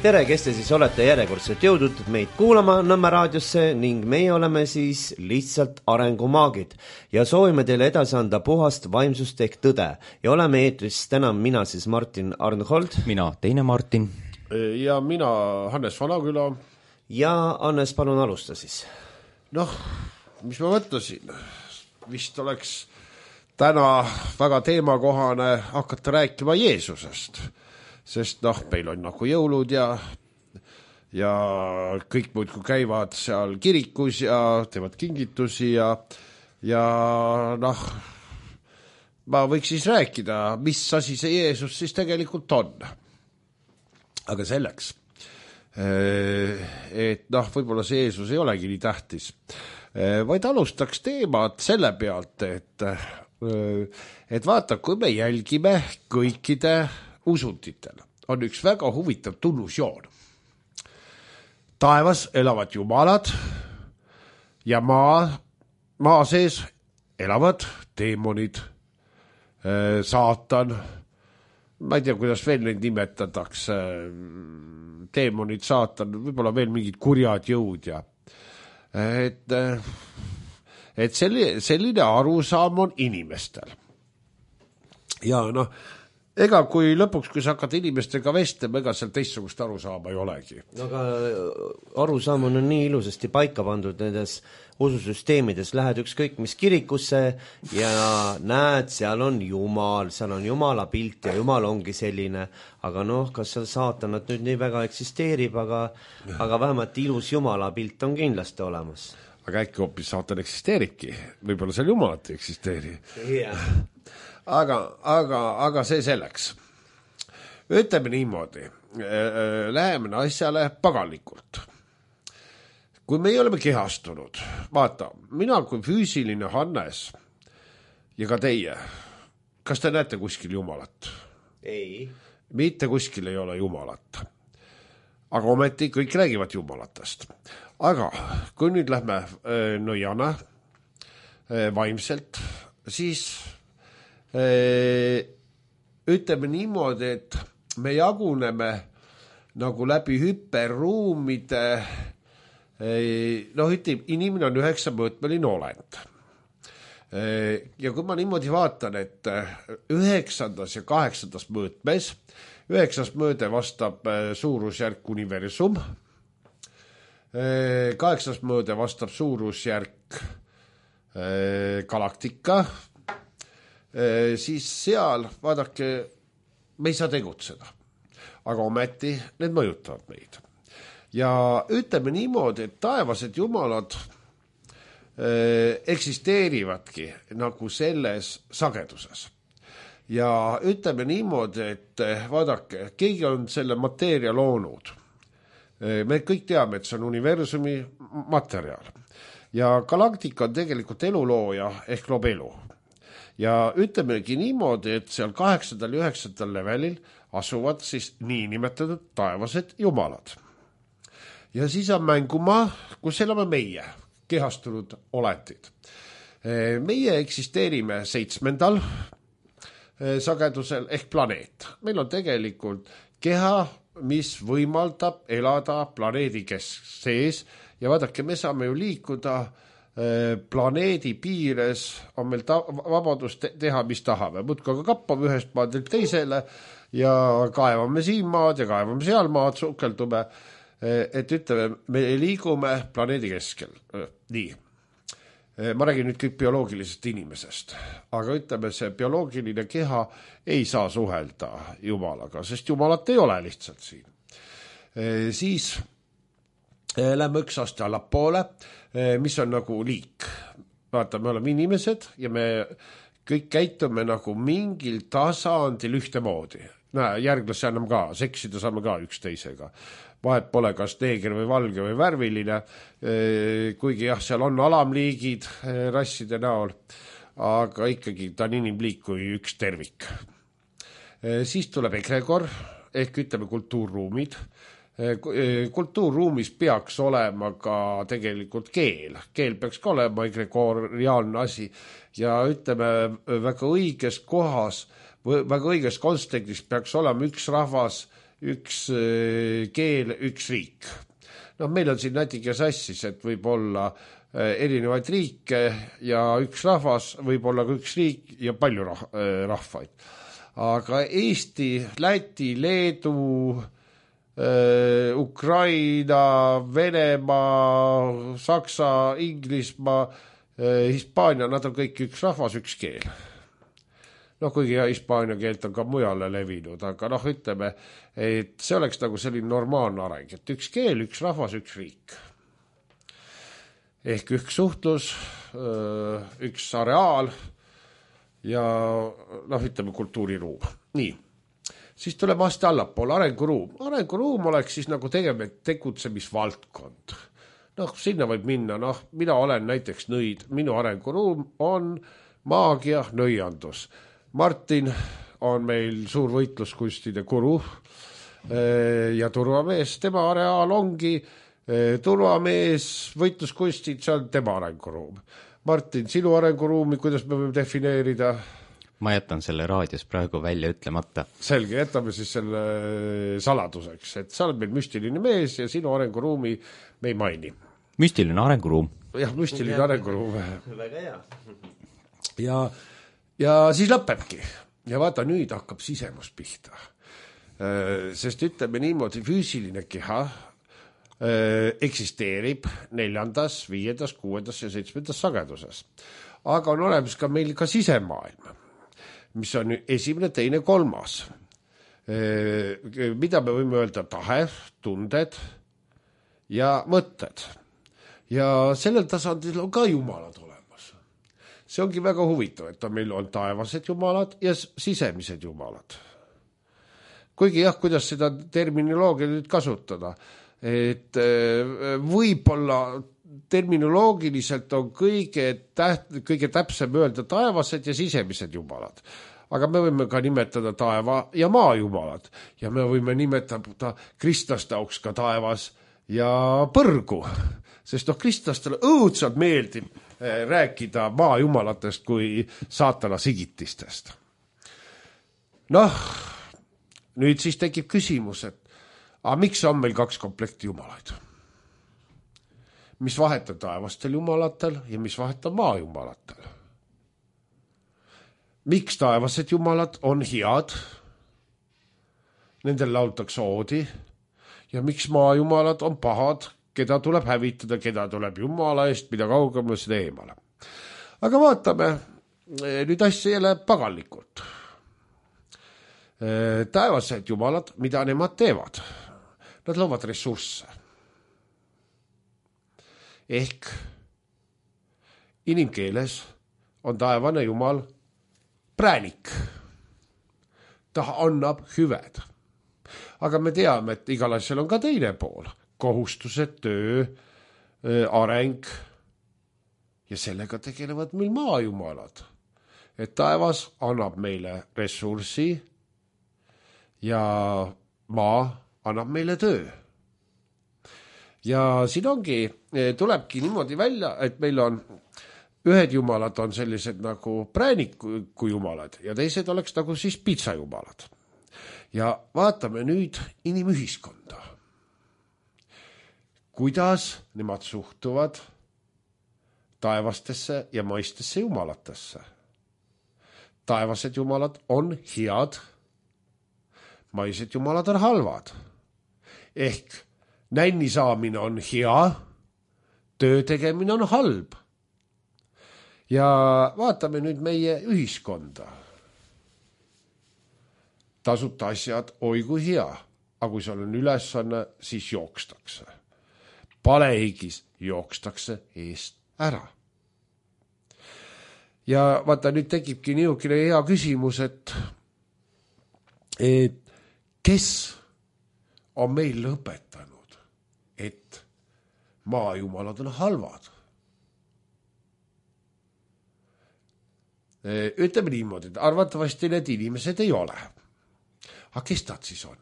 tere, kes te siis olete järjekordselt jõudnud meid kuulama Nõmme raadiosse ning meie oleme siis lihtsalt arengumaagid ja soovime teile edasi anda puhast vaimsust ehk tõde ja oleme eetris täna mina siis Martin Arnhold, mina teine Martin ja mina Hannes Vanaküla. Ja Hannes, palun alusta siis. Mis ma mõtlesin, vist oleks täna väga teemakohane hakata rääkima Jeesusest. Sest meil on nagu jõulud ja kõik muudkui käivad seal kirikus ja teevad kingitusi ja ma võiks siis rääkida, mis asi see Jeesus siis tegelikult on. Aga selleks, et võib-olla see Jeesus ei olegi nii tähtis, vaid alustaks teemat selle pealt, et vaata, kui me jälgime kõikide usunditel on üks väga huvitav tunnusjoon. Taevas elavad jumalad ja maa sees elavad teemonid, saatan, ma ei tea, kuidas veel neid nimetatakse, teemonid, saatan, võib-olla veel mingid kurjad jõud ja et selline arusaam on inimestel. Ja ega kui lõpuks, kui sa hakkad inimestega vestlema, ega seal teistsugust arusaama ei olegi. Aga arusaam on nii ilusasti paika pandud nendes ususüsteemides. Lähed ükskõik mis kirikusse ja näed, seal on Jumal, seal on Jumala pilt ja Jumal ongi selline. Aga kas seal saatanat nüüd nii väga eksisteerib, aga vähemalt ilus Jumala pilt on kindlasti olemas. Aga äkki hoopis saatan eksisteeribki. Võib-olla seal Jumalat ei eksisteeri. Yeah. Aga see selleks. Ütleme niimoodi, läheme asjale paganlikult. Kui me oleme kehastunud, vaata, mina kui füüsiline Hannes ja ka teie, kas te näete kuskil Jumalat? Ei. Mitte kuskil ei ole Jumalat. Aga ometi kõik räägivad Jumalatest. Aga kui nüüd lähme nõjana vaimselt, siis ütleme niimoodi, et me jaguneme nagu läbi hüperruumide, ütleme, inimene on 9-mõõtmeline olend. Ja kui ma niimoodi vaatan, et 9. ja 8. mõõtmes, 9. mõõde vastab suurusjärk universum, 8. mõõde vastab suurusjärk galaktika, siis seal, vaadake, me ei saa tegutseda. Aga ometi need mõjutavad meid. Ja ütleme niimoodi, et taevased jumalad eksisteerivadki nagu selles sageduses. Ja ütleme niimoodi, et vaadake, keegi on selle mateeria loonud. Me kõik teame, et see on universumi materjal. Ja galaktika on tegelikult elulooja ehk loob elu. Ja ütlemegi niimoodi, et seal 8. ja 9. levelil asuvad siis niinimetatud taevased jumalad. Ja siis on mängumaa, kus elame meie, kehastunud olendid. Meie eksisteerime 7. sagedusel ehk planeet. Meil on tegelikult keha, mis võimaldab elada planeedi sees ja vaadake, me saame ju liikuda planeedi piires, on meil vabadust teha, mis tahame. Muudkui aga kappame ühest maadelt teisele ja kaevame siin maad ja kaevame seal maad, sukeldume, et ütleme, me liigume planeedi keskel. Nii. Ma räägin nüüd kõik bioloogilisest inimesest, aga ütleme, see bioloogiline keha ei saa suhelda Jumalaga, sest Jumalat ei ole lihtsalt siin. Siis lähme üks aste allapoole, mis on nagu liik. Vaata, me oleme inimesed ja me kõik käitume nagu mingil tasandil ühtemoodi. Järglasi anname ka, seksida saame ka üksteisega. Vahet pole kas neeger või valge või värviline, kuigi jah, seal on alamliigid rasside näol, aga ikkagi ta on inimliik kui üks tervik. Siis tuleb egregor, ehk ütleme kultuurruumid. Kultuurruumis peaks olema ka tegelikult keel. Keel peaks ka olema egregoriaalne asi ja ütleme väga õiges kohas, väga õiges kontekstis peaks olema üks rahvas, üks keel, üks riik. No meil on siin natuke sassis, et võib olla erinevaid riike ja üks rahvas, võib olla ka üks riik ja palju rahvaid. Aga Eesti, Läti, Leedu, Ukraina, Venemaa, Saksa, Inglismaa, Hispaania, nad on kõik üks rahvas, üks keel. No kuigi hispaania keelt on ka mujale levinud, aga ütleme, et see oleks nagu selline normaalne areng, et üks keel, üks rahvas, üks riik. Ehk üks suhtlus, üks areaal ja ütleme kultuuriruum. Nii, siis tuleme aste allapoole, arenguruum. Arenguruum oleks siis nagu tegutsemisvaldkond. Sinna võib minna, mina olen näiteks nõid, minu arenguruum on maagia, nõiandus. Martin on meil suur võitluskunstide guru ja turvamees, tema areaal ongi turvamees, võitluskunstid, see on tema arenguruum. Martin, sinu arenguruumi, kuidas me võime defineerida? Ma jätan selle raadios praegu välja ütlemata. Selge, jätame siis selle saladuseks, et sa oled meil müstiline mees ja sinu arenguruumi me ei maini. Müstiline arenguruum. Jah, müstiline arenguruum. Väga hea. Ja siis lõpebki. Ja vaata, nüüd hakkab sisemus pihta. Sest ütleme niimoodi, füüsiline keha eksisteerib 4., 5., 6. ja 7. sageduses. Aga on olemas ka meil ka sisemaailm, mis on 1., 2., 3. Mida me võime öelda? Tahe, tunded ja mõtted. Ja sellel tasandil on ka jumalad olemas. See ongi väga huvitav, et meil on taevased jumalad ja sisemised jumalad. Kuigi kuidas seda terminoloogia nüüd kasutada, et võib-olla terminoloogiliselt on kõige täpsem öelda taevased ja sisemised jumalad. Aga me võime ka nimetada taeva ja maa jumalad ja me võime nimetada kristlaste auks ka taevas ja põrgu, sest kristlastele õudselt meeldib rääkida maa jumalatest kui saatana sigitistest. Nüüd siis tekib küsimus, et miks on meil 2 komplekti jumalaid? Mis vahet on taevastel jumalatel ja mis vahet on maa jumalatel? Miks taevased jumalad on head? Nendel laultakse oodi. Ja miks maa jumalad on pahad? Keda tuleb hävitada, keda tuleb jumala eest, mida kaugemale seda eemale. Aga vaatame nüüd asja jälle pagallikult. Taevased jumalad, mida nemad teevad? Nad loovad ressursse. Ehk inimkeeles on taevane jumal präänik. Ta annab hüved. Aga me teame, et igal asjal on ka teine pool. Kohustused, töö, areng ja sellega tegelevad meil maajumalad. Et taevas annab meile ressurssi ja maa annab meile töö. Ja siin tulebki niimoodi välja, et meil on ühed jumalad on sellised nagu prääniku jumalad ja teised oleks nagu siis pitsajumalad. Ja vaatame nüüd inimühiskonda. Kuidas nemad suhtuvad taevastesse ja maistesse jumalatesse. Taevased jumalad on head, maised jumalad on halvad. Ehk nänni saamine on hea, töö tegemine on halb. Ja vaatame nüüd meie ühiskonda. Tasuta asjad, oi kui hea, aga kui seal on ülesanne, siis jookstakse. Palehigis jookstakse eest ära. Ja vaata, nüüd tekibki niisugune hea küsimus, et kes on meil õpetanud, et maajumalad on halvad? Ütleme niimoodi, et arvatavasti need inimesed ei ole. Aga kes nad siis on?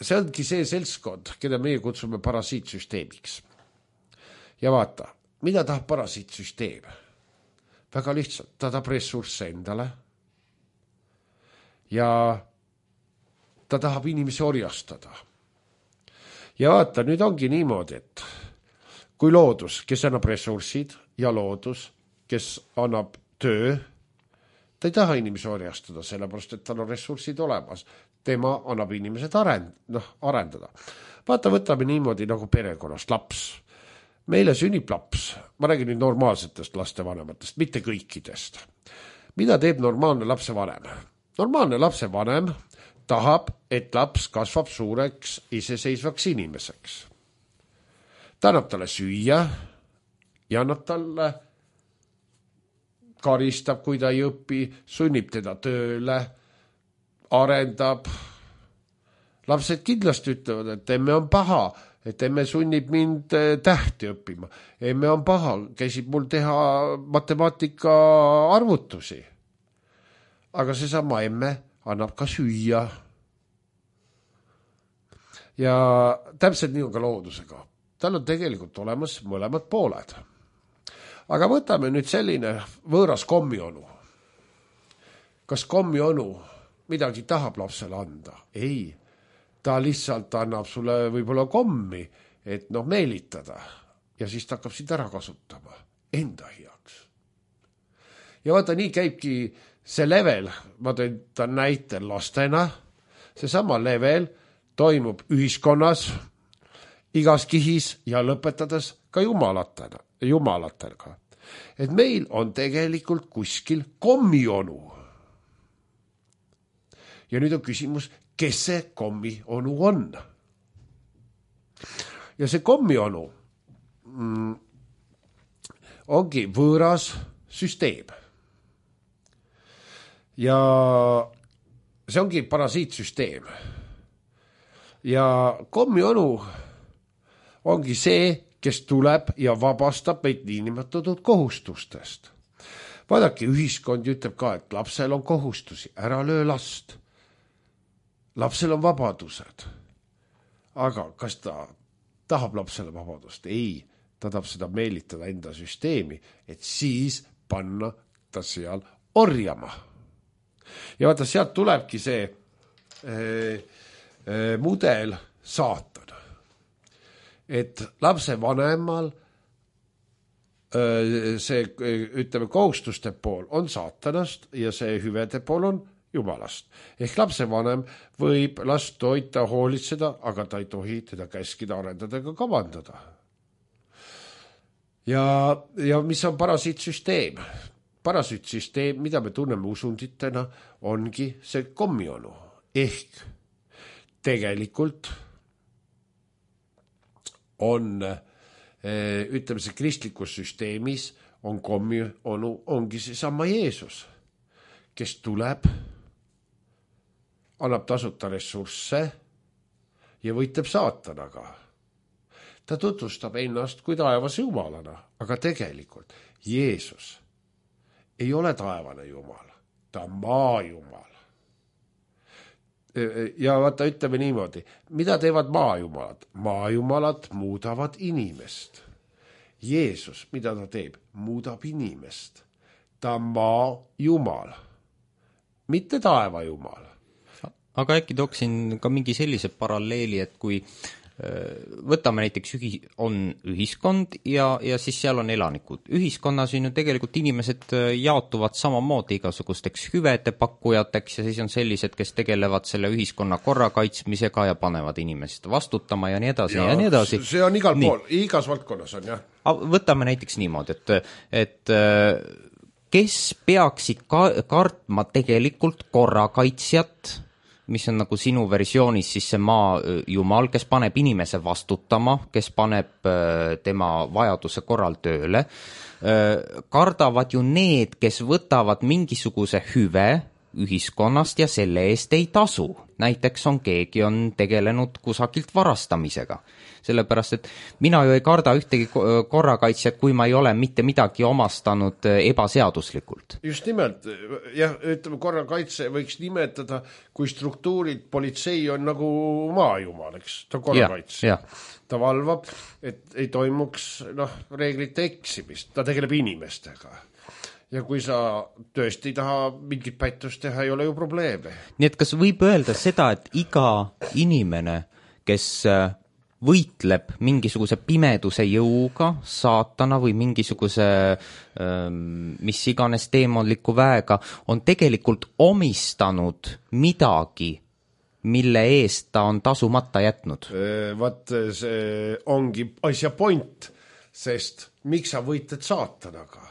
See ongi see seltskond, keda meie kutsume parasiitsüsteemiks. Ja vaata, mida tahab parasiitsüsteem? Väga lihtsalt, ta tahab ressursse endale ja ta tahab inimesi orjastada. Ja vaata, nüüd ongi niimoodi, et kui loodus, kes annab ressursid ja loodus, kes annab töö, ta ei taha inimesi orjastada, sellepärast, et tal on ressursid olemas. Tema annab inimesed arendada. Vaata, võtame niimoodi nagu perekonnast laps. Meile sünnib laps. Ma räägin nüüd normaalsetest lastevanematest, mitte kõikidest. Mida teeb normaalne lapsevanem? Normaalne lapsevanem tahab, et laps kasvab suureks iseseisvaks inimeseks. Ta annab talle süüa ja annab talle karistab, kui ta ei õpi, sunnib teda tööle, arendab. Lapsed kindlasti ütlevad, et emme on paha, et emme sunnib mind tähti õppima. Emme on paha, käisib mul teha matemaatika arvutusi. Aga seesama emme annab ka süüa. Ja täpselt nii on ka loodusega. Tal on tegelikult olemas mõlemad pooled. Aga võtame nüüd selline võõras kommionu. Kas kommionu midagi tahab lapsele anda? Ei. Ta lihtsalt annab sulle võib-olla kommi, et meelitada. Ja siis ta hakkab sind ära kasutama. Enda heaks. Ja vaata, nii käibki see level, ma tõin ta näitel lastena, seesama level toimub ühiskonnas, igas kihis ja lõpetades ka jumalatega. Et meil on tegelikult kuskil kommionu. Ja nüüd on küsimus, kes see kommionu on? Ja see kommionu ongi võõras süsteem. Ja see ongi parasiitsüsteem. Ja kommionu ongi see, kes tuleb ja vabastab meid niinimetatud kohustustest. Vaadake, ühiskond ütleb ka, et lapsel on kohustusi, ära löö last. Lapsel on vabadused. Aga kas ta tahab lapsele vabadust? Ei, ta tahab seda meelitada enda süsteemi, et siis panna ta seal orjama. Ja vaata, sealt tulebki see mudel saatan. Et lapse vanemal see, ütleme, kohustuste pool on saatanast ja see hüvede pool on jumalast. Ehk lapse vanem võib last toita, hoolitseda, aga ta ei tohi teda käskida, arendada ega kavandada. Ja mis on parasiitsüsteem? Parasiitsüsteem, mida me tunneme usunditena, ongi see kommionu. Ehk tegelikult on, ütleme, see kristlikus süsteemis on kommionu, ongi see sama Jeesus, kes tuleb, annab tasuta ressursse ja võitleb saatanaga. Ta tutvustab ennast kui taevase jumalana, aga tegelikult Jeesus ei ole taevane jumal, ta on maajumal. Ja vaata, ütleme niimoodi, mida teevad maajumalad? Maajumalad muudavad inimest. Jeesus, mida ta teeb? Muudab inimest. Ta on maajumal, mitte taevajumal. Aga äkki tooksin ka mingi sellise paralleeli, et kui võtame näiteks on ühiskond ja siis seal on elanikud. Ühiskonnas on ju tegelikult inimesed jaotuvad samamoodi igasugusteks hüvede pakkujateks ja siis on sellised, kes tegelevad selle ühiskonna korra kaitsmisega ja panevad inimesed vastutama ja nii edasi ja nii edasi. See on igal pool, igas valdkonnas on, jah. Võtame näiteks niimoodi, et kes peaksid kartma tegelikult korrakaitsjat, mis on nagu sinu versioonis siis see maajumal, kes paneb inimese vastutama, kes paneb tema vajaduse korral tööle, kardavad ju need, kes võtavad mingisuguse hüve ühiskonnast ja selle eest ei tasu. Näiteks keegi on tegelenud kusagilt varastamisega. Sellepärast, et mina ju ei karda ühtegi korrakaitsjat, kui ma ei ole mitte midagi omastanud ebaseaduslikult. Just nimelt, jah, ütleme, korrakaitse võiks nimetada, kui struktuurid, politsei on nagu maajumal, eks, ta on korrakaitse. Ja. Ta valvab, et ei toimuks reeglite eksimist, ta tegeleb inimestega. ja kui sa tõesti ei taha mingit pättust teha, ei ole ju probleeme. Nii et kas võib öelda seda, et iga inimene, kes võitleb mingisuguse pimeduse jõuga, saatana või mingisuguse mis iganes teemonliku väega, on tegelikult omistanud midagi, mille eest ta on tasumata jätnud? Vaat see ongi asja point, sest miks sa võitled saatanaga?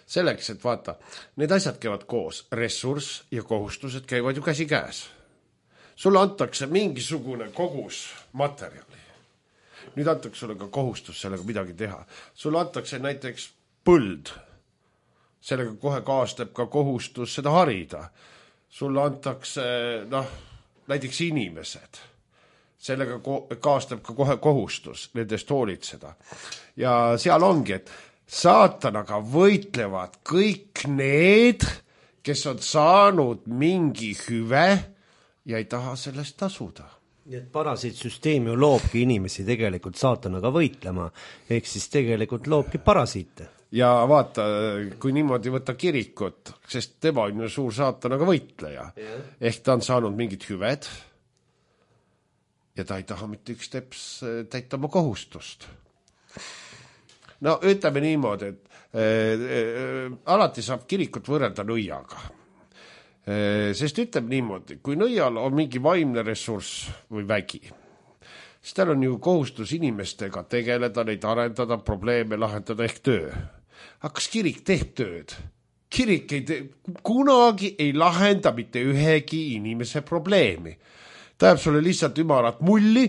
Selleks, et vaata, need asjad käivad koos, ressurss ja kohustused käivad ju käsi käes. Sulle antakse mingisugune kogus materjali. Nüüd antakse sulle ka kohustus sellega midagi teha. Sulle antakse näiteks põld. Sellega kohe kaasneb ka kohustus seda harida. Sulle antakse, näiteks inimesed. Sellega kaasneb ka kohe kohustus nendest hoolitseda. Ja seal ongi, et saatanaga võitlevad kõik need, kes on saanud mingi hüve ja ei taha sellest tasuda. Nii et parasiitsüsteem ju loobki inimesi tegelikult saatanaga võitlema, ehk siis tegelikult loobki parasiite. Ja vaata, kui niimoodi võtta kirikut, sest tema on ju suur saatanaga võitleja, ehk ta on saanud mingid hüved ja ta ei taha mitte üks teps täita oma kohustust. No ütleme niimoodi, et alati saab kirikut võrrelda nõiaga. Sest ütleme niimoodi, kui nõial on mingi vaimne ressurss või vägi, siis tal on ju kohustus inimestega tegeleda, neid arendada, probleeme lahendada ehk töö. Aga kas kirik teeb tööd? Kirik kunagi ei lahenda mitte ühegi inimese probleemi. Ta jääb sulle lihtsalt ümarat mulli,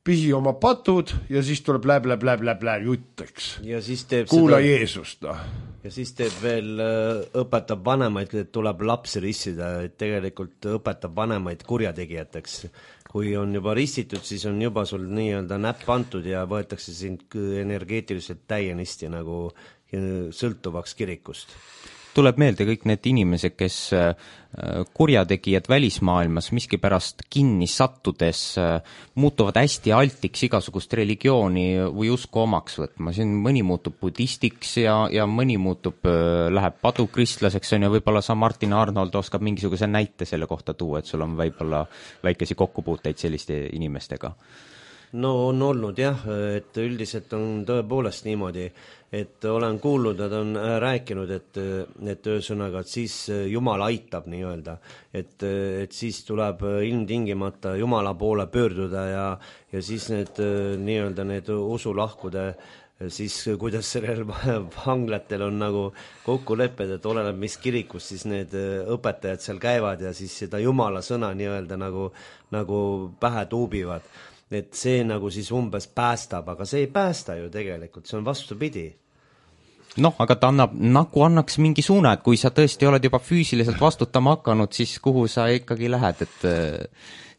pihi oma patud ja siis tuleb läb jutteks. Ja siis teeb kuula seda... Jeesust, Ja siis teeb veel, õpetab vanemaid, et tuleb lapsi rissida, et tegelikult õpetab vanemaid kurjategijateks. Kui on juba ristitud, siis on juba sul nii-öelda näpp antud ja võetakse sind energeetiliselt täienisti nagu sõltuvaks kirikust. Tuleb meelde kõik need inimesed, kes kurjategijad välismaailmas miskipärast kinni sattudes muutuvad hästi altiks igasugust religiooni või usku omaks võtma. Siin mõni muutub budistiks ja mõni muutub, läheb padukristlaseks, on ja võib-olla sa Martin Arnold oskab mingisuguse näite selle kohta tuua, et sul on võib-olla väikesi kokkupuuteid selliste inimestega. No on olnud jah, et üldiselt on tõepoolest niimoodi, et olen kuulnud, nad on rääkinud, et ühesõnaga, et siis Jumal aitab nii-öelda, et siis tuleb ilmtingimata Jumala poole pöörduda ja siis need nii-öelda need usulahkude siis kuidas sellel vanglatel on nagu kokkulepped, et oleneb mis kirikus, siis need õpetajad seal käivad ja siis seda Jumala sõna nii-öelda nagu pähe tuubivad. Et see nagu siis umbes päästab, aga see ei päästa ju tegelikult, see on vastupidi. Noh, aga ta annaks mingi suuna, et kui sa tõesti oled juba füüsiliselt vastutama hakanud, siis kuhu sa ikkagi lähed, et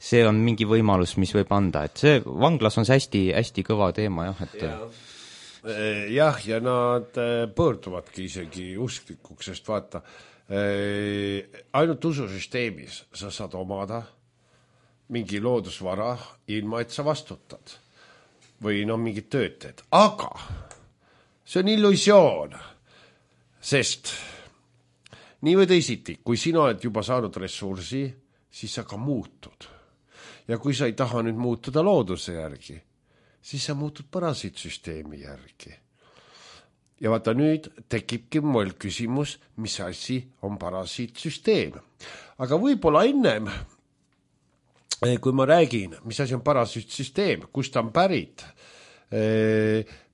see on mingi võimalus, mis võib anda, et see vanglas on see hästi kõva teema, jah, et jah, ja nad pöörduvadki isegi usklikuks, sest vaata, ainult ususüsteemis sa saad omada mingi loodusvara, ilma et sa vastutad või mingid tööd teed. Aga see on illusioon, sest nii või teisiti, kui sina oled juba saanud ressursi, siis sa ka muutud. Ja kui sa ei taha nüüd muutuda looduse järgi, siis sa muutud parasiitsüsteemi järgi. Ja vaata nüüd tekibki mul küsimus, mis asi on parasiitsüsteem. Aga võib-olla ennem, kui ma räägin, mis asi on parasiitsüsteem, kust ta on pärit,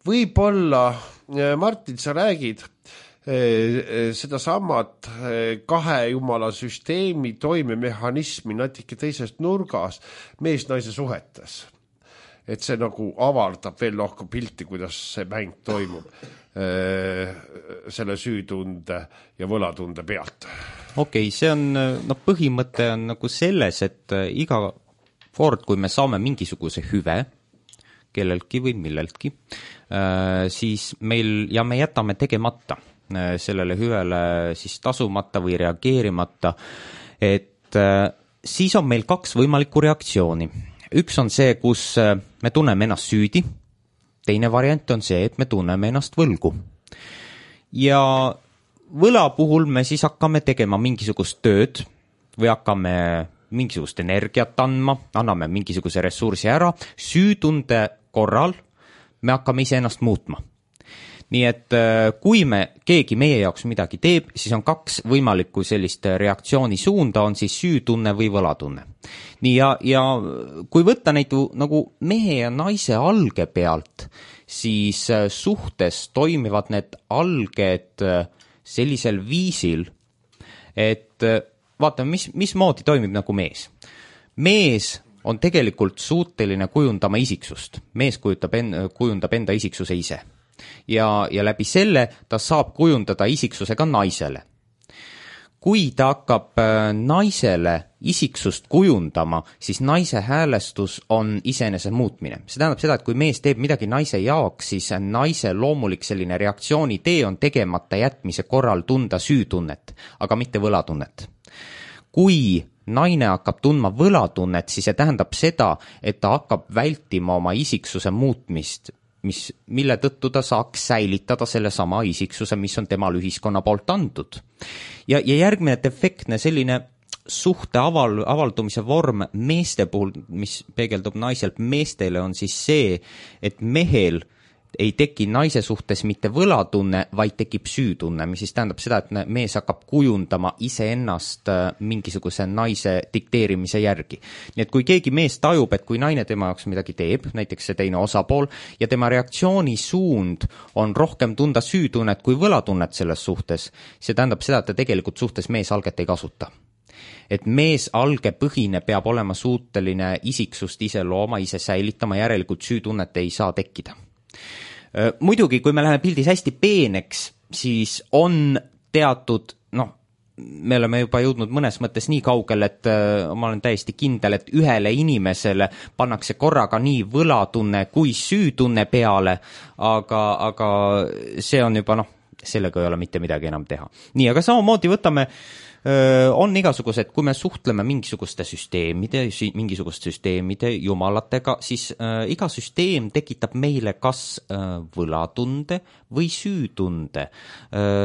võib-olla, Martin, sa räägid seda samat kahe jumala süsteemi toimemehhanismi natuke teisest nurgas mees-naise suhetes. Et see nagu avardab veel lohku pilti, kuidas see mäng toimub selle süütunde ja võlatunde pealt. Okei, see on, põhimõte on nagu selles, et iga kord, kui me saame mingisuguse hüve kelleltki või milleltki, siis me jätame tegemata sellele hüvele siis tasumata või reageerimata, et siis on meil kaks võimalikku reaktsiooni. Üks on see, kus me tunneme ennast süüdi, teine variant on see, et me tunneme ennast võlgu. Ja võla puhul me siis hakkame tegema mingisugust tööd või hakkame mingisugust energiat andma, anname mingisuguse ressursi ära, süütunde korral me hakkame iseennast muutma. Nii et kui keegi meie jaoks midagi teeb, siis on 2 võimalikku sellist reaktsiooni suunda, on siis süütunne või võlatunne. Nii ja kui võtta neid nagu mehe ja naise alge pealt, siis suhtes toimivad need alged sellisel viisil, et vaatame, mismoodi toimib nagu mees. Mees on tegelikult suuteline kujundama isiksust. Mees kujundab enda isiksuse ise. Ja läbi selle ta saab kujundada isiksuse ka naisele. Kui ta hakkab naisele isiksust kujundama, siis naise häälestus on iseenese muutmine. See tähendab seda, et kui mees teeb midagi naise jaoks, siis naise loomulik selline reaktsioonitee on tegemata jätmise korral tunda süütunnet, aga mitte võlatunnet. Kui naine hakkab tundma võlatunnet, siis see tähendab seda, et ta hakkab vältima oma isiksuse muutmist, mille tõttu ta saaks säilitada selle sama isiksuse, mis on temal ühiskonna poolt antud. Ja järgmine defektne selline suhte avaldumise vorm meeste puhul, mis peegeldub naiselt meestele, on siis see, et mehel ei teki naise suhtes mitte võlatunne, vaid tekib süütunne, mis siis tähendab seda, et mees hakkab kujundama iseennast mingisuguse naise dikteerimise järgi. Nii et kui keegi mees tajub, et kui naine tema jaoks midagi teeb, näiteks see teine osapool, ja tema reaktsioonisuund on rohkem tunda süütunnet kui võlatunnet selles suhtes, see tähendab seda, et ta tegelikult suhtes meesalget ei kasuta. Et meesalge põhine peab olema suuteline isiksust ise looma, ise säilitama, järelikult süütunnet ei saa tekkida. Muidugi, kui me läheme pildis hästi peeneks, siis on teatud, me oleme juba jõudnud mõnes mõttes nii kaugel, et ma olen täiesti kindel, et ühele inimesele pannakse korraga nii võlatunne kui süütunne peale, aga see on juba, sellega ei ole mitte midagi enam teha. Nii, aga samamoodi võtame on igasugused, kui me suhtleme mingisuguste süsteemide jumalatega, siis iga süsteem tekitab meile kas võlatunde või süütunde.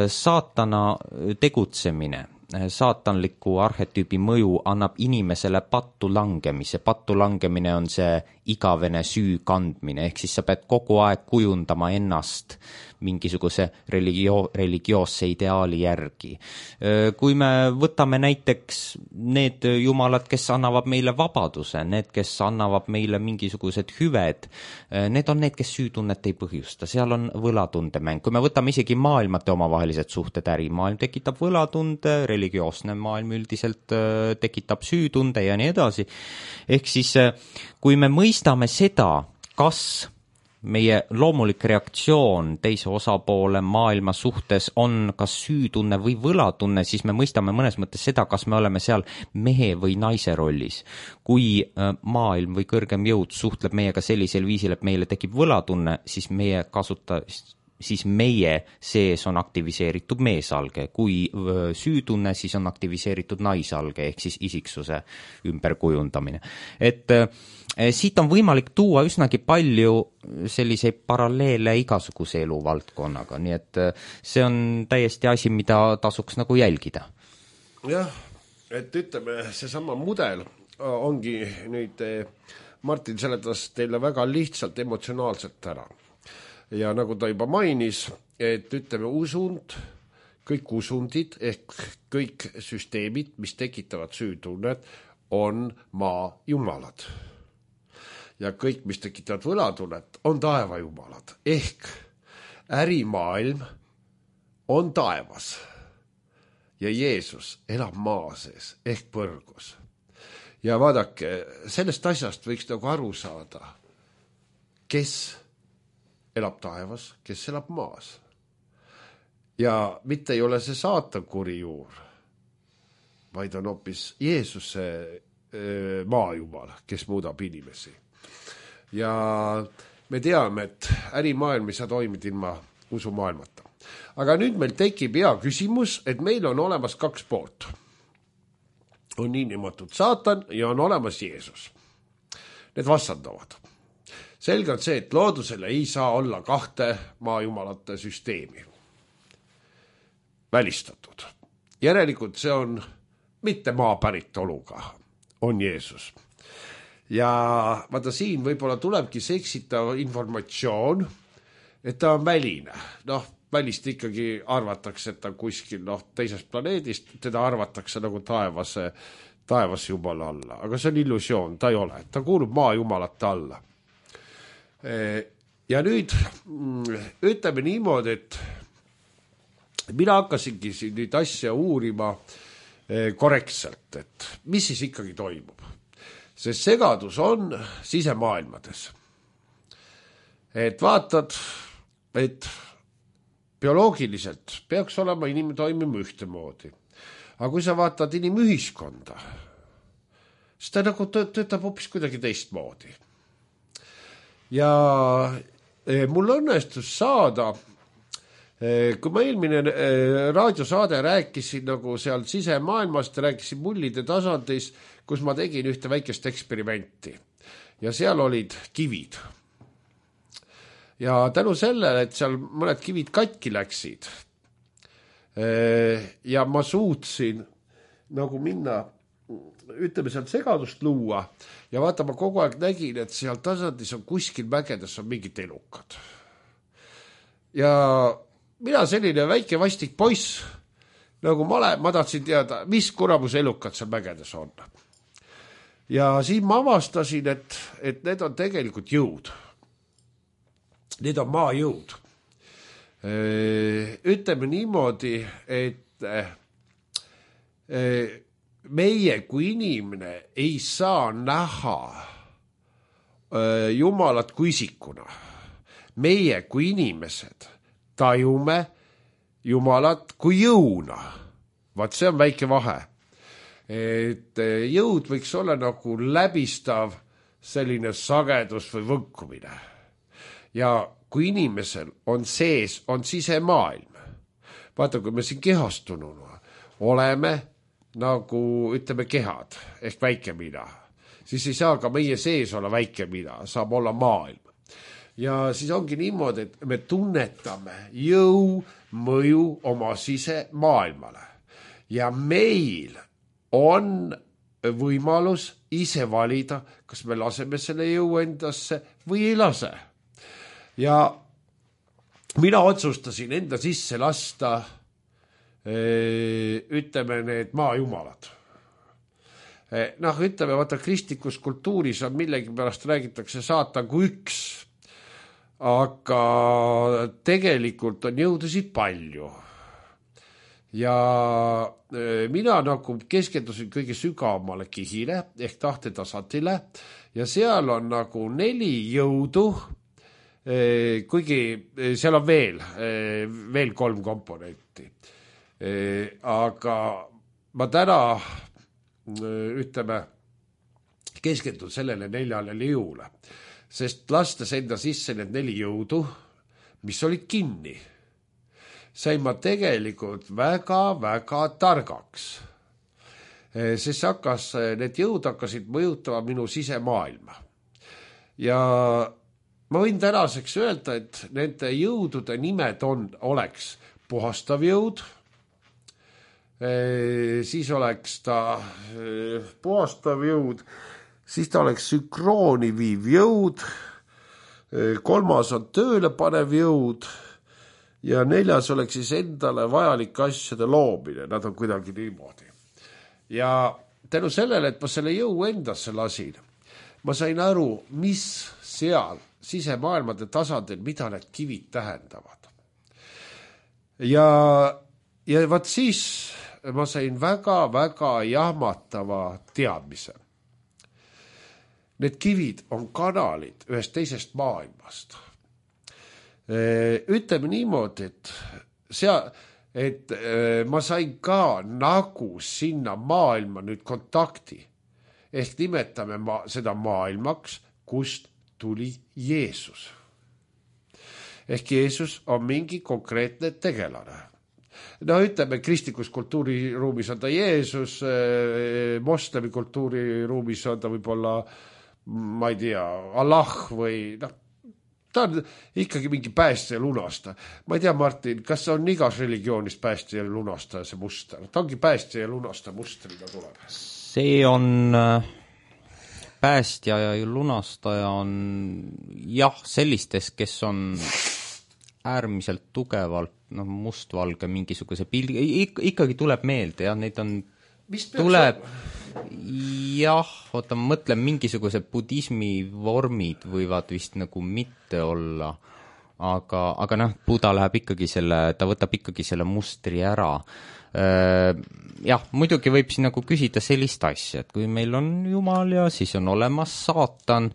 Saatana tegutsemine, saatanliku arhetüübi mõju annab inimesele pattu langemise. Pattu langemine on see igavene süü kandmine, ehk siis sa pead kogu aeg kujundama ennast mingisuguse religioosse ideaali järgi. Kui me võtame näiteks need jumalad, kes annavad meile vabaduse, need, kes annavad meile mingisugused hüved, need on need, kes süütunnet ei põhjusta, seal on võlatundemäng. Kui me võtame isegi maailmate omavahelised suhted, ärimaailm tekitab võlatunde, religioosne maailm üldiselt tekitab süütunde ja nii edasi. Ehk siis, kui me mõistame seda, kas meie loomulik reaktsioon teise osapoole maailma suhtes on kas süütunne või võlatunne, siis me mõistame mõnes mõttes seda, kas me oleme seal mehe või naise rollis. Kui maailm või kõrgem jõud suhtleb meiega sellisel viisil, et meile tekib võlatunne, siis meie sees on aktiviseeritud meesalge. Kui süütunne, siis on aktiviseeritud naisalge, ehk siis isiksuse ümberkujundamine. Et siit on võimalik tuua üsnagi palju selliseid paralleele igasuguse eluvaldkonnaga, nii et see on täiesti asi, mida tasuks nagu jälgida. Jah, et ütleme, seesama mudel ongi nüüd, Martin seletas teile väga lihtsalt emotsionaalselt ära. Ja nagu ta juba mainis, et ütleme usund, kõik usundid ehk kõik süsteemid, mis tekitavad süütunnet, on maa jumalad. Ja kõik, mis tekitavad võlatunnet, on taeva jumalad. Ehk ärimaailm on taevas ja Jeesus elab maa sees ehk põrgus. Ja vaadake, sellest asjast võiks nagu aru saada, kes elab taevas, kes elab maas. Ja mitte ei ole see saatan kuri juur, vaid on hoopis Jeesuse maajumal, kes muudab inimesi. Ja me teame, et ärimaailm ei saa toimida ilma usumaailmata. Aga nüüd meil tekib hea küsimus, et meil on olemas 2 poolt. On niinimetatud saatan ja on olemas Jeesus. Need vastandavad. Selge on see, et loodusele ei saa olla 2 maajumalate süsteemi. välistatud. Järelikult see on mitte maapäritoluga, on Jeesus. Ja vaata siin võib-olla tulebki seksitav informatsioon, et ta on väline. Välist ikkagi arvatakse, et ta kuskil teisest planeedist, teda arvatakse nagu taevas jumala alla. Aga see on illusioon, ta ei ole. Ta kuulub maa jumalate alla. Ja nüüd ütleme niimoodi, et mina hakkasingi siin nüüd asja uurima korrektselt, et mis siis ikkagi toimub. See segadus on sisemaailmades. Et vaatad, et bioloogiliselt peaks olema inimene toimima ühtemoodi. Aga kui sa vaatad inimühiskonda, siis ta nagu töötab hoopis kuidagi teistmoodi. Ja mul õnnestus saada, kui ma eelmine raadiosaade rääkisin nagu seal sisemaailmast, rääkisin mullide tasandis, kus ma tegin ühte väikest eksperimenti. Ja seal olid kivid. Ja tänu sellele, et seal mõned kivid katki läksid ja ma suutsin nagu minna, ütleme sealt segadust luua ja vaata, ma kogu aeg nägin, et seal tasandis on kuskil mägedes on mingid elukad. Ja mina selline väike vastik poiss, nagu ma tahtsin teada, mis kuramus elukad seal mägedes on. Ja siin ma avastasin, et need on tegelikult jõud. Need on maajõud. Ütleme niimoodi, et meie kui inimene ei saa näha Jumalat kui isikuna. Meie kui inimesed tajume Jumalat kui jõuna. Vaat see on väike vahe. Et jõud võiks olla nagu läbistav selline sagedus või võnkumine. Ja kui inimesel on sees, on sisemaailm. Vaata, kui me siin kehastununa oleme nagu, ütleme, kehad ehk väike mina, siis ei saa ka meie sees olla väike mina, saab olla maailm. Ja siis ongi niimoodi, et me tunnetame jõu mõju oma sisemaailmale. Ja meil on võimalus ise valida, kas me laseme selle jõu endasse või ei lase. Ja mina otsustasin enda sisse lasta, ütleme, need maajumalad. Ütleme, vaata, kristlikus kultuuris on millegi pärast räägitakse saatan kui üks, aga tegelikult on jõudusid palju. Ja mina nagu keskendusin kõige sügavamale kihile ehk tahtetasandile ja seal on nagu 4 jõudu, kuigi seal on veel 3 komponenti. Aga ma täna, ütleme, keskendun sellele 4 jõule, sest lastes enda sisse need 4 jõudu, mis olid kinni, sain ma tegelikult väga-väga targaks. Sest need jõud hakkasid mõjutama minu sisemaailma. Ja ma võin tänaseks öelda, et nende jõudude nimed oleks puhastav jõud, siis oleks ta puhastav jõud, siis ta oleks sünkrooni viiv jõud, 3. on tööle panev jõud ja 4. oleks siis endale vajalike asjade loomine, nad on kuidagi niimoodi. Ja tänu sellele, et ma selle jõu endasse lasin, ma sain aru, mis seal sisemaailmade tasandil, mida need kivid tähendavad. Ja vaat siis ma sain väga-väga jahmatava teadmise. Need kivid on kanalid ühest teisest maailmast. Ütleme niimoodi, et ma sain ka nagu sinna maailma nüüd kontakti. Ehk nimetame seda maailmaks, kust tuli Jeesus. Ehk Jeesus on mingi konkreetne tegelane. Ütleme, kristlikus kultuuriruumis on ta Jeesus, moslemi kultuuriruumis on ta võib-olla, ma ei tea, Allah või ta on ikkagi mingi päästja ja lunastaja. Ma ei tea, Martin, kas on igas religioonis päästja ja lunastaja see muster? Ta ongi päästja ja lunastaja mustriga tuleb. See on päästja ja lunastaja on jah, sellistes, kes on äärmiselt tugevalt mustvalge mingisuguse pildi, ikkagi tuleb meelde, jah, neid on, tuleb, jah, oota, ma mõtlen, mingisuguse budismi vormid võivad vist nagu mitte olla, aga noh, Buda läheb ikkagi ta võtab ikkagi selle mustri ära. Jah, muidugi võib siin nagu küsida sellist asja, et kui meil on Jumal ja siis on olemas saatan,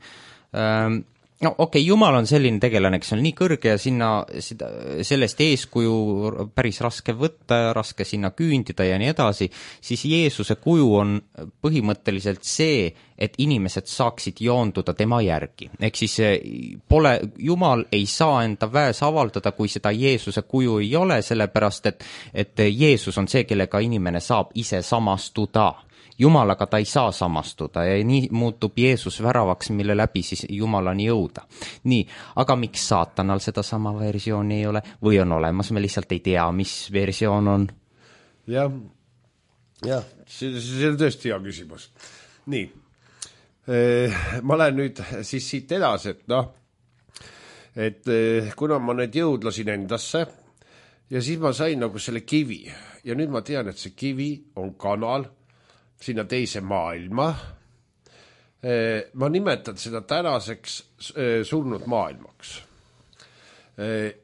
no okei, Jumal on selline tegelane, kes on nii kõrge ja sellest eeskuju päris raske võtta ja raske sinna küündida ja nii edasi, siis Jeesuse kuju on põhimõtteliselt see, et inimesed saaksid joonduda tema järgi. Ehk siis Jumal ei saa enda väes avaldada, kui seda Jeesuse kuju ei ole, sellepärast et Jeesus on see, kellega inimene saab ise samastuda. Jumalaga ta ei saa samastuda ja nii muutub Jeesus väravaks, mille läbi siis Jumalani jõuda. Nii, aga miks saatanal seda sama versiooni ei ole või on olemas, me lihtsalt ei tea, mis versioon on? Jah, see on tõesti hea küsimus. Nii, ma lähen nüüd siis siit edasi, et kuna ma need jõudlasin endasse ja siis ma sain nagu selle kivi ja nüüd ma tean, et see kivi on kanal sinna teise maailma. Ma nimetan seda tänaseks surnud maailmaks.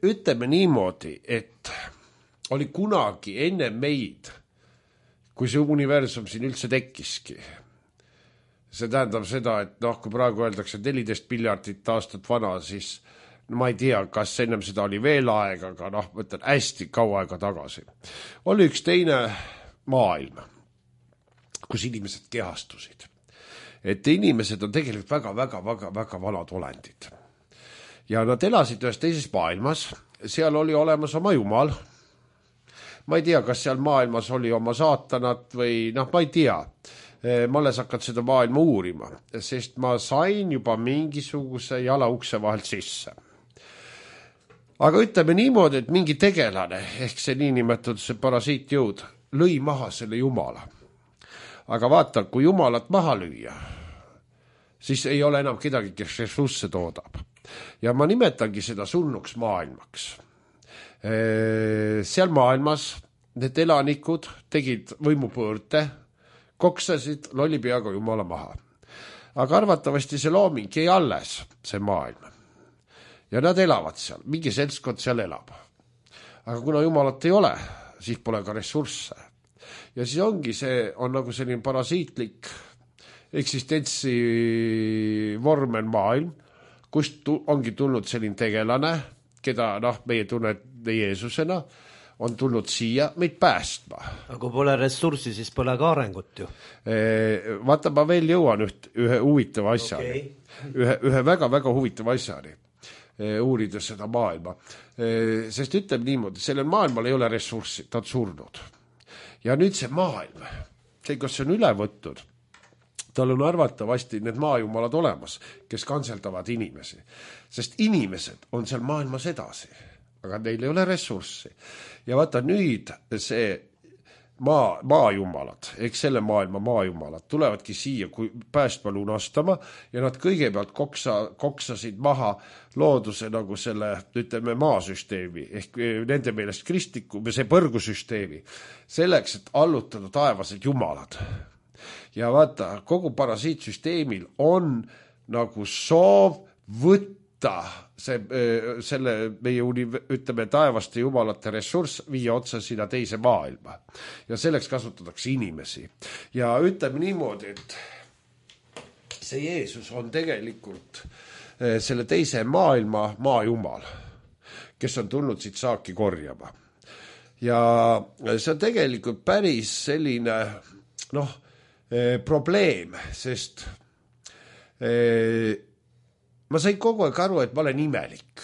Ütleme niimoodi, et oli kunagi enne meid, kui see universum siin üldse tekkiski. See tähendab seda, et kui praegu öeldakse 14 miljardit aastat vana, siis ma ei tea, kas ennem seda oli veel aega, aga mõtlen hästi kaua aega tagasi. Oli üks teine maailm, kus inimesed kehastusid. Et inimesed on tegelikult väga vanad olendid. Ja nad elasid ühes teises maailmas, seal oli olemas oma Jumal. Ma ei tea, kas seal maailmas oli oma saatanat või ma ei tea. Ma alles hakkan seda maailma uurima, sest ma sain juba mingisuguse jala ukse vahelt sisse. Aga ütleme niimoodi, et mingi tegelane, ehk see niinimetatud see parasiitjõud, lõi maha selle Jumala. Aga vaata, kui Jumalat maha lüüa, siis ei ole enam kedagi, kes ressursse toodab. Ja ma nimetangi seda surnuks maailmaks. Seal maailmas need elanikud tegid võimupõõrte, koksasid lolli peaga Jumala maha. Aga arvatavasti see looming ei alles, see maailm. Ja nad elavad seal, mingi seltskond seal elab. Aga kuna Jumalat ei ole, siis pole ka ressursse. Ja siis ongi see, on nagu selline parasiitlik eksistentsi vormen maailm, kust ongi tulnud selline tegelane, keda meie tunned Jeesusena, on tulnud siia meid päästma. Aga kui pole ressurssi, siis pole ka arengut ju. Vaata, ma veel jõuan ühe huvitava asjani. Okay. Ühe väga huvitava asjani, uurides seda maailma. Sest ütleb niimoodi, sellel maailmal ei ole ressurssi, ta on surnud. Ja nüüd see maailm, see, kus see on üle võttud, tal on arvatavasti need maajumalad olemas, kes kantseldavad inimesi. Sest inimesed on seal maailmas edasi, aga neil ei ole ressurssi. Ja vaata nüüd see maajumalad, eks selle maailma maajumalad tulevadki siia kui päästma lunastama ja nad kõigepealt koksasid maha looduse nagu selle, ütleme, maasüsteemi ehk nende meelest kristliku või see põrgusüsteemi selleks, et allutada taevased jumalad. Ja vaata, kogu parasiitsüsteemil on nagu soov võtta selle meie ütleme taevaste jumalate ressurss viia otsa sinna teise maailma. Ja selleks kasutatakse inimesi. Ja ütleme niimoodi, et see Jeesus on tegelikult selle teise maailma maajumal, kes on tulnud siit saaki korjama. Ja see on tegelikult päris selline probleem, sest ma sain kogu aeg aru, et ma olen imelik.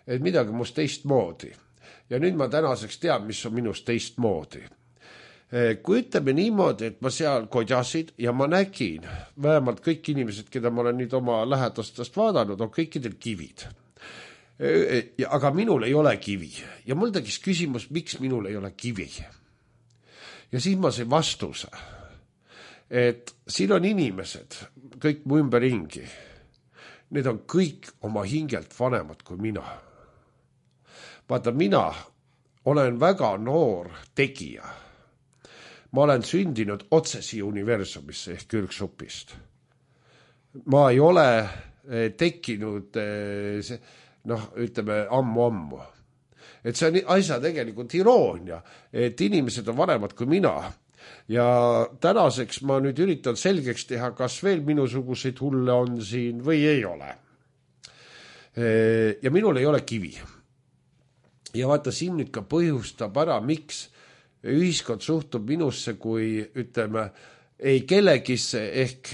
Et midagi must teistmoodi. Ja nüüd ma tänaseks tean, mis on minust teistmoodi. kui ütleme niimoodi, et ma seal kodjasid ja ma nägin, vähemalt kõik inimesed, keda ma olen nüüd oma lähedastest vaadanud, on kõikidel kivid. Aga minul ei ole kivi ja mul tegis küsimus, miks minul ei ole kivi. Ja siis ma sain vastuse, et siin on inimesed, kõik mu ümberringi. Need on kõik oma hingelt vanemad kui mina. Vaata, mina olen väga noor tegija. Ma olen sündinud otse siia universumisse ehk ürgsupist. Ma ei ole tekkinud, ütleme, ammu. Et see on asja tegelikult iroonia, et inimesed on vanemad kui mina. Ja tänaseks ma nüüd üritan selgeks teha, kas veel minusuguseid hulle on siin või ei ole. Ja minul ei ole kivi. Ja vaata, siin nüüd ka põhjustab ära, miks ühiskond suhtub minusse kui, ütleme, ei kellegisse ehk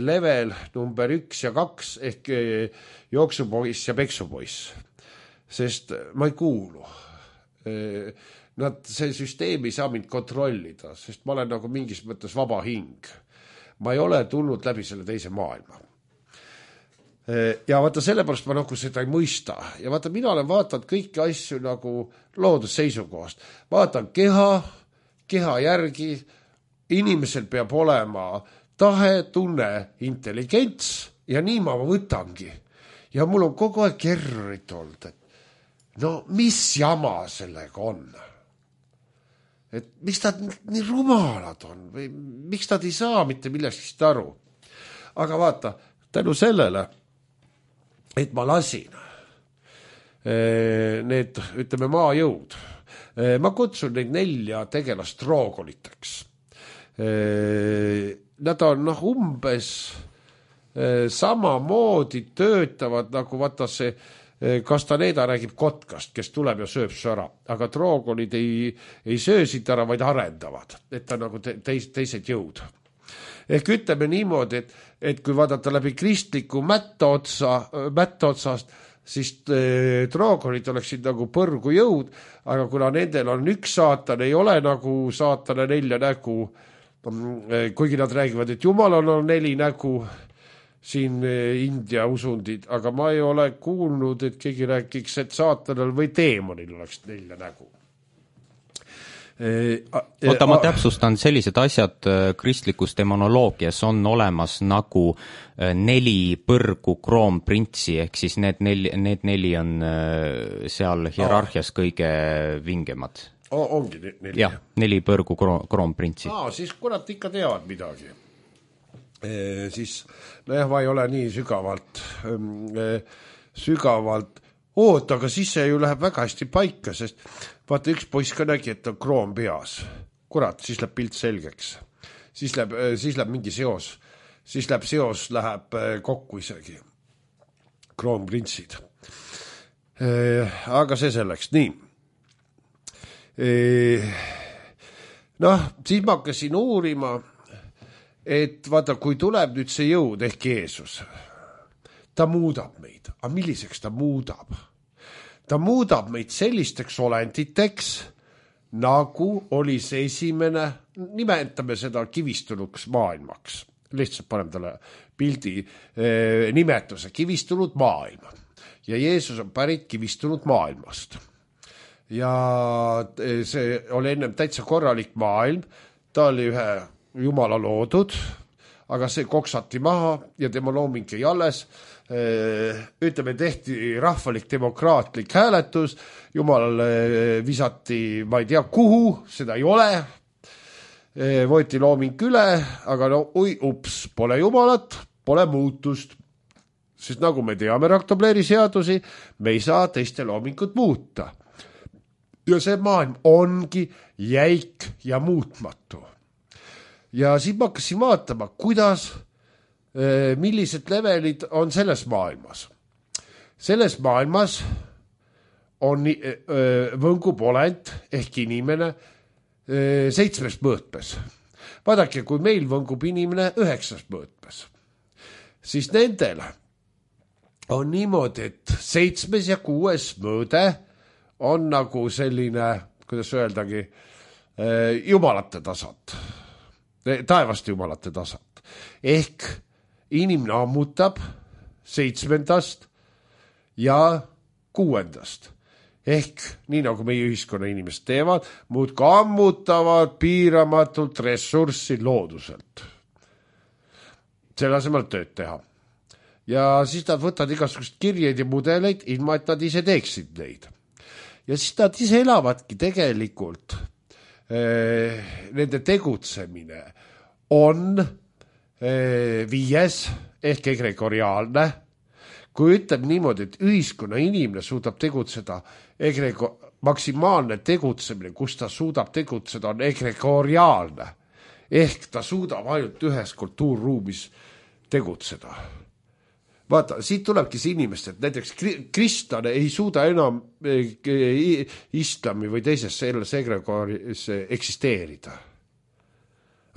level number 1 ja 2 ehk jooksupoiss ja peksupoiss. Sest ma ei kuulu. See süsteem ei saa mind kontrollida, sest ma olen nagu mingis mõttes vaba hing. Ma ei ole tulnud läbi selle teise maailma. Ja vaata, sellepärast ma nagu seda ei mõista. Ja vaata, mina olen vaatanud kõiki asju nagu loodusseisukohast. Vaatan keha järgi, inimesel peab olema tahe, tunne, intelligents ja nii ma võtangi. Ja mul on kogu aeg kerrit olnud, et no mis jama sellega on? Et miks nad nii rumalad on või miks nad ei saa mitte millestki aru? Aga vaata, tänu sellele, et ma lasin need, ütleme, maajõud. Ma kutsun neid 4 tegelast troogoliteks. Nad on umbes samamoodi töötavad nagu vaata see Castaneda räägib kotkast, kes tuleb ja sööb sõra, aga troogolid ei söö siit ära, vaid arendavad, et ta nagu teised jõud. Ehk ütleme niimoodi, et kui vaadata läbi kristliku mättotsast, siis troogolid oleksid nagu põrgu jõud, aga kuna nendel on üks saatan, ei ole nagu saatana 4 nägu, kuigi nad räägivad, et Jumalal on 4 nägu, siin India usundid, aga ma ei ole kuulnud, et keegi rääkiks, et saatanal või teemonil oleks 4 nägu. Oota, ma täpsustan, sellised asjad kristlikus demonoloogias on olemas nagu 4 põrgu kroonprintsi, ehk siis need 4 on seal hierarhias kõige vingemad. Ongi 4? Jah, 4 põrgu kroonprintsi. Siis kurat ikka teavad midagi. Siis, nojah, ma ei ole nii sügavalt aga siis see ju läheb väga hästi paika, sest vaata, üks poiss ka nägi, et on kroon peas. Kurat, siis läheb pilt selgeks. Siis läheb mingi seos. Siis läheb kokku isegi. Kroonprintsid. Aga see selleks. Nii. Siis ma hakkasin uurima, et vaata, kui tuleb nüüd see jõud ehk Jeesus, ta muudab meid. Aga milliseks ta muudab? Ta muudab meid sellisteks olenditeks, nagu oli see esimene, nimetame seda kivistunuks maailmaks. Lihtsalt panem talle pildi nimetuse, kivistunud maailm. Ja Jeesus on pärit kivistunud maailmast. Ja see oli ennem täitsa korralik maailm, ta oli ühe Jumala loodud, aga see koksati maha ja tema looming ei alles. Ütleme, tehti rahvalik demokraatlik hääletus, Jumalale visati, ma ei tea kuhu, seda ei ole, võeti looming üle, aga pole Jumalat, pole muutust, sest nagu me teame Raktobleri seadusi, me ei saa teiste loomingut muuta. Ja see maailm ongi jäik ja muutmatu. Ja siis ma hakkasin vaatama, millised levelid on selles maailmas. Selles maailmas on võngub olend ehk inimene 7 mõõtmes. Vaadake, kui meil võngub inimene 9 mõõtmes, siis nendel on niimoodi, et 7 ja 6 mõõde on nagu selline, kuidas öeldagi, jumalate tasand, taevast jumalate tasand. Ehk inimene ammutab 7. ja 6. Ehk nii nagu meie ühiskonna inimesed teevad, muudkui ammutavad piiramatult ressurssi looduselt. Selle asemel tööd teha. Ja siis nad võtavad igasugust kirjeid ja mudeleid, ilma et nad ise teeksid neid. Ja siis nad ise elavadki tegelikult, nende tegutsemine on 5. ehk egregoriaalne. Kui ütleb niimoodi, et ühiskonna inimene suudab tegutseda, maksimaalne tegutsemine, kus ta suudab tegutseda, on egregoriaalne. Ehk ta suudab ainult ühes kultuurruumis tegutseda. Vaata, siit tulebki see inimest, et näiteks kristlane ei suuda enam islami või teises selles egregoris eksisteerida.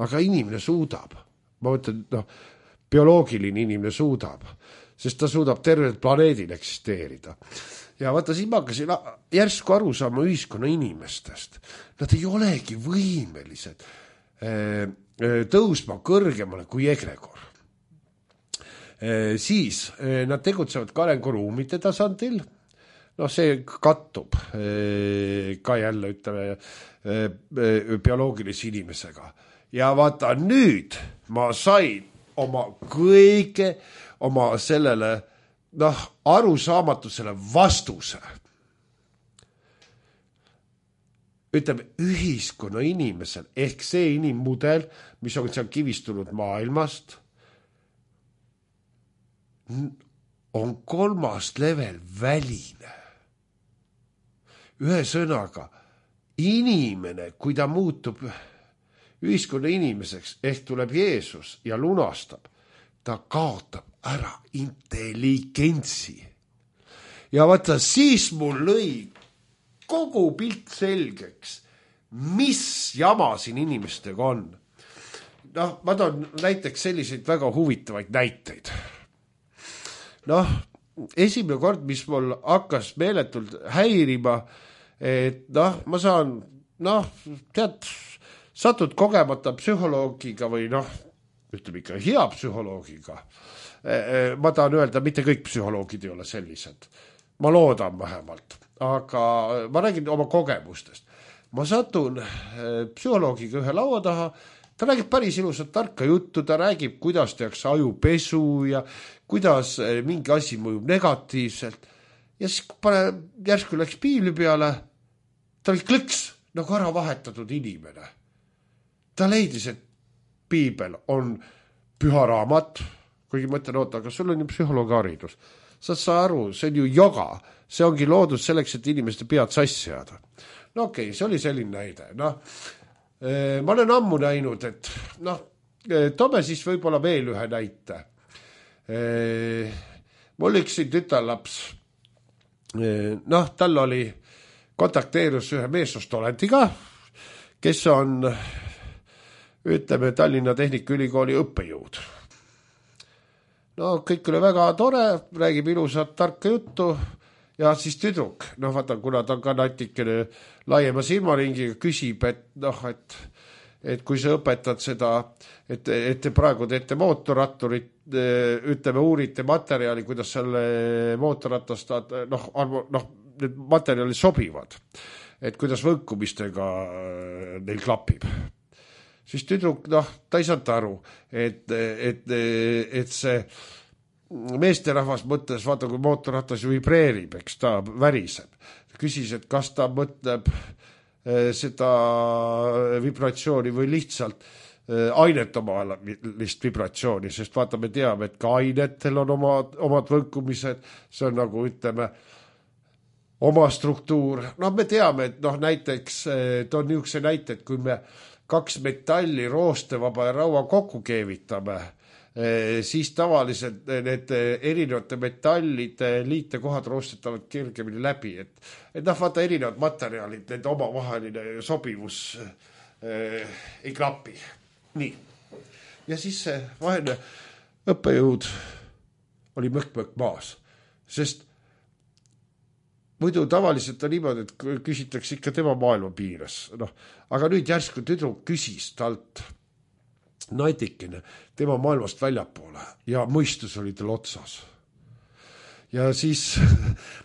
Aga inimene suudab. Ma mõtlen, bioloogiline inimene suudab, sest ta suudab tervel planeedil eksisteerida. Ja vaata, siin ma hakkasin järsku aru saama ühiskonna inimestest. Nad ei olegi võimelised tõusma kõrgemale kui egregor. Siis nad tegutsevad ka arenguruumide tasandil. See kattub ka jälle, ütleme, bioloogilise inimesega. Ja vaata, nüüd ma sain oma sellele arusaamatusele vastuse. Ütleme, ühiskonna inimesel ehk see inimmudel, mis on seal kivistunud maailmast, on 3. level väline. Ühe sõnaga, inimene, kui ta muutub ühiskonna inimeseks, ehk tuleb Jeesus ja lunastab, ta kaotab ära intelligentsi. Ja vaata, siis mul lõi kogu pilt selgeks, mis jama siin inimestega on. Ma toon näiteks selliseid väga huvitavaid näiteid. Esimene kord, mis mul hakkas meeletult häirima, et ma saan, satud kogemata psühholoogiga või ütleme ikka hea psühholoogiga. Ma tahan öelda, mitte kõik psühholoogid ei ole sellised. Ma loodan vähemalt, aga ma räägin oma kogemustest. Ma satun psühholoogiga ühe laua taha, ta räägib päris ilusat tarka juttu, ta räägib, kuidas tehakse ajupesu ja kuidas mingi asi mõjub negatiivselt. Ja siis järsku läks piibli peale, ta oli klõks, nagu ära vahetatud inimene. Ta leidis, et piibel on püha raamat, kuigi mõtlen, aga sul on ju psühholoogiharidus. Sa aru, see on ju joga, see ongi loodud selleks, et inimeste pead sassi jääda. Okei, see oli selline näide. Ma olen ammu näinud, et toome siis võib-olla veel ühe näite. Mul üks tütarlaps, tal oli kontakteerus ühe meesostolendiga, kes on, ütleme, Tallinna Tehnikaülikooli õppejõud. Kõik oli väga tore, räägib ilusat tarka juttu ja siis tüdruk, vaata, kuna ta on ka natikene laiema silmaringiga, küsib, et kui sa õpetad seda, et te praegu teete mootorratturit, ütleme, uurite materjali, kuidas selle mootorratast, need materjalid sobivad, et kuidas võnkumistega neil klapib. Siis tüdruk, ta ei saanud aru, et see meesterahvas mõtles, vaata, kui mootorratas ju vibreerib, eks ta väriseb. Küsis, et kas ta mõtleb seda vibratsiooni või lihtsalt ainet omalist vibratsiooni, sest vaata, me teame, et ka ainetel on omad võnkumised, see on nagu, ütleme, oma struktuur. Me teame, et näiteks, toon niisuguse näite, et kui me 2 metalli, roostevaba ja raua kokku keevitame, siis tavaliselt need erinevate metallide liitekohad roostetavad kergemini läbi, et vaata, erinevad materjalid, nende omavaheline sobivus ei klapi. Nii. Ja siis see vaheline õppejõud oli mõkk maas, sest muidu tavaliselt on niimoodi, et küsitakse ikka tema maailma piires. Aga nüüd järsku tüdruk küsis talt natikene tema maailmast väljapoole ja mõistus oli tal otsas. Ja siis,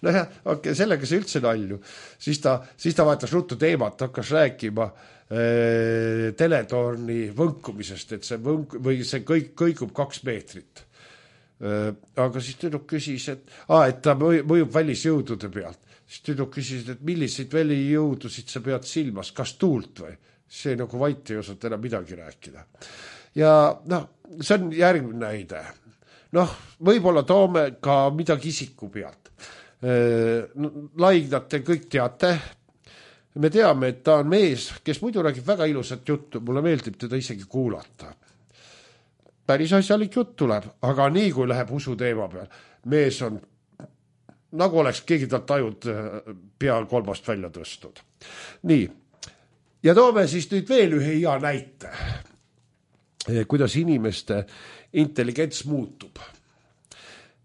sellega see üldse nalju. Siis ta vaatas ruttu teemat, hakkas rääkima teletorni võnkumisest, et see kõigub 2 meetrit. Aga siis tüdruk küsis, et ta mõjub välisjõudude pealt. Siis tüdruk küsis, et milliseid välijõudusid sa pead silmas, kas tuult või? See nagu vait ei osata enam midagi rääkida. Ja see on järgmine näide. Võib-olla toome ka midagi isiku pealt. Laignat te kõik teate. Me teame, et ta on mees, kes muidu räägib väga ilusat juttu. Mulle meeldib teda isegi kuulata. Päris asjalik jutt tuleb, aga nii kui läheb usu teema peal, mees on nagu oleks keegi talt tajud pea 3 välja tõstnud. Nii, ja toome siis nüüd veel ühe hea näite, kuidas inimeste intelligents muutub.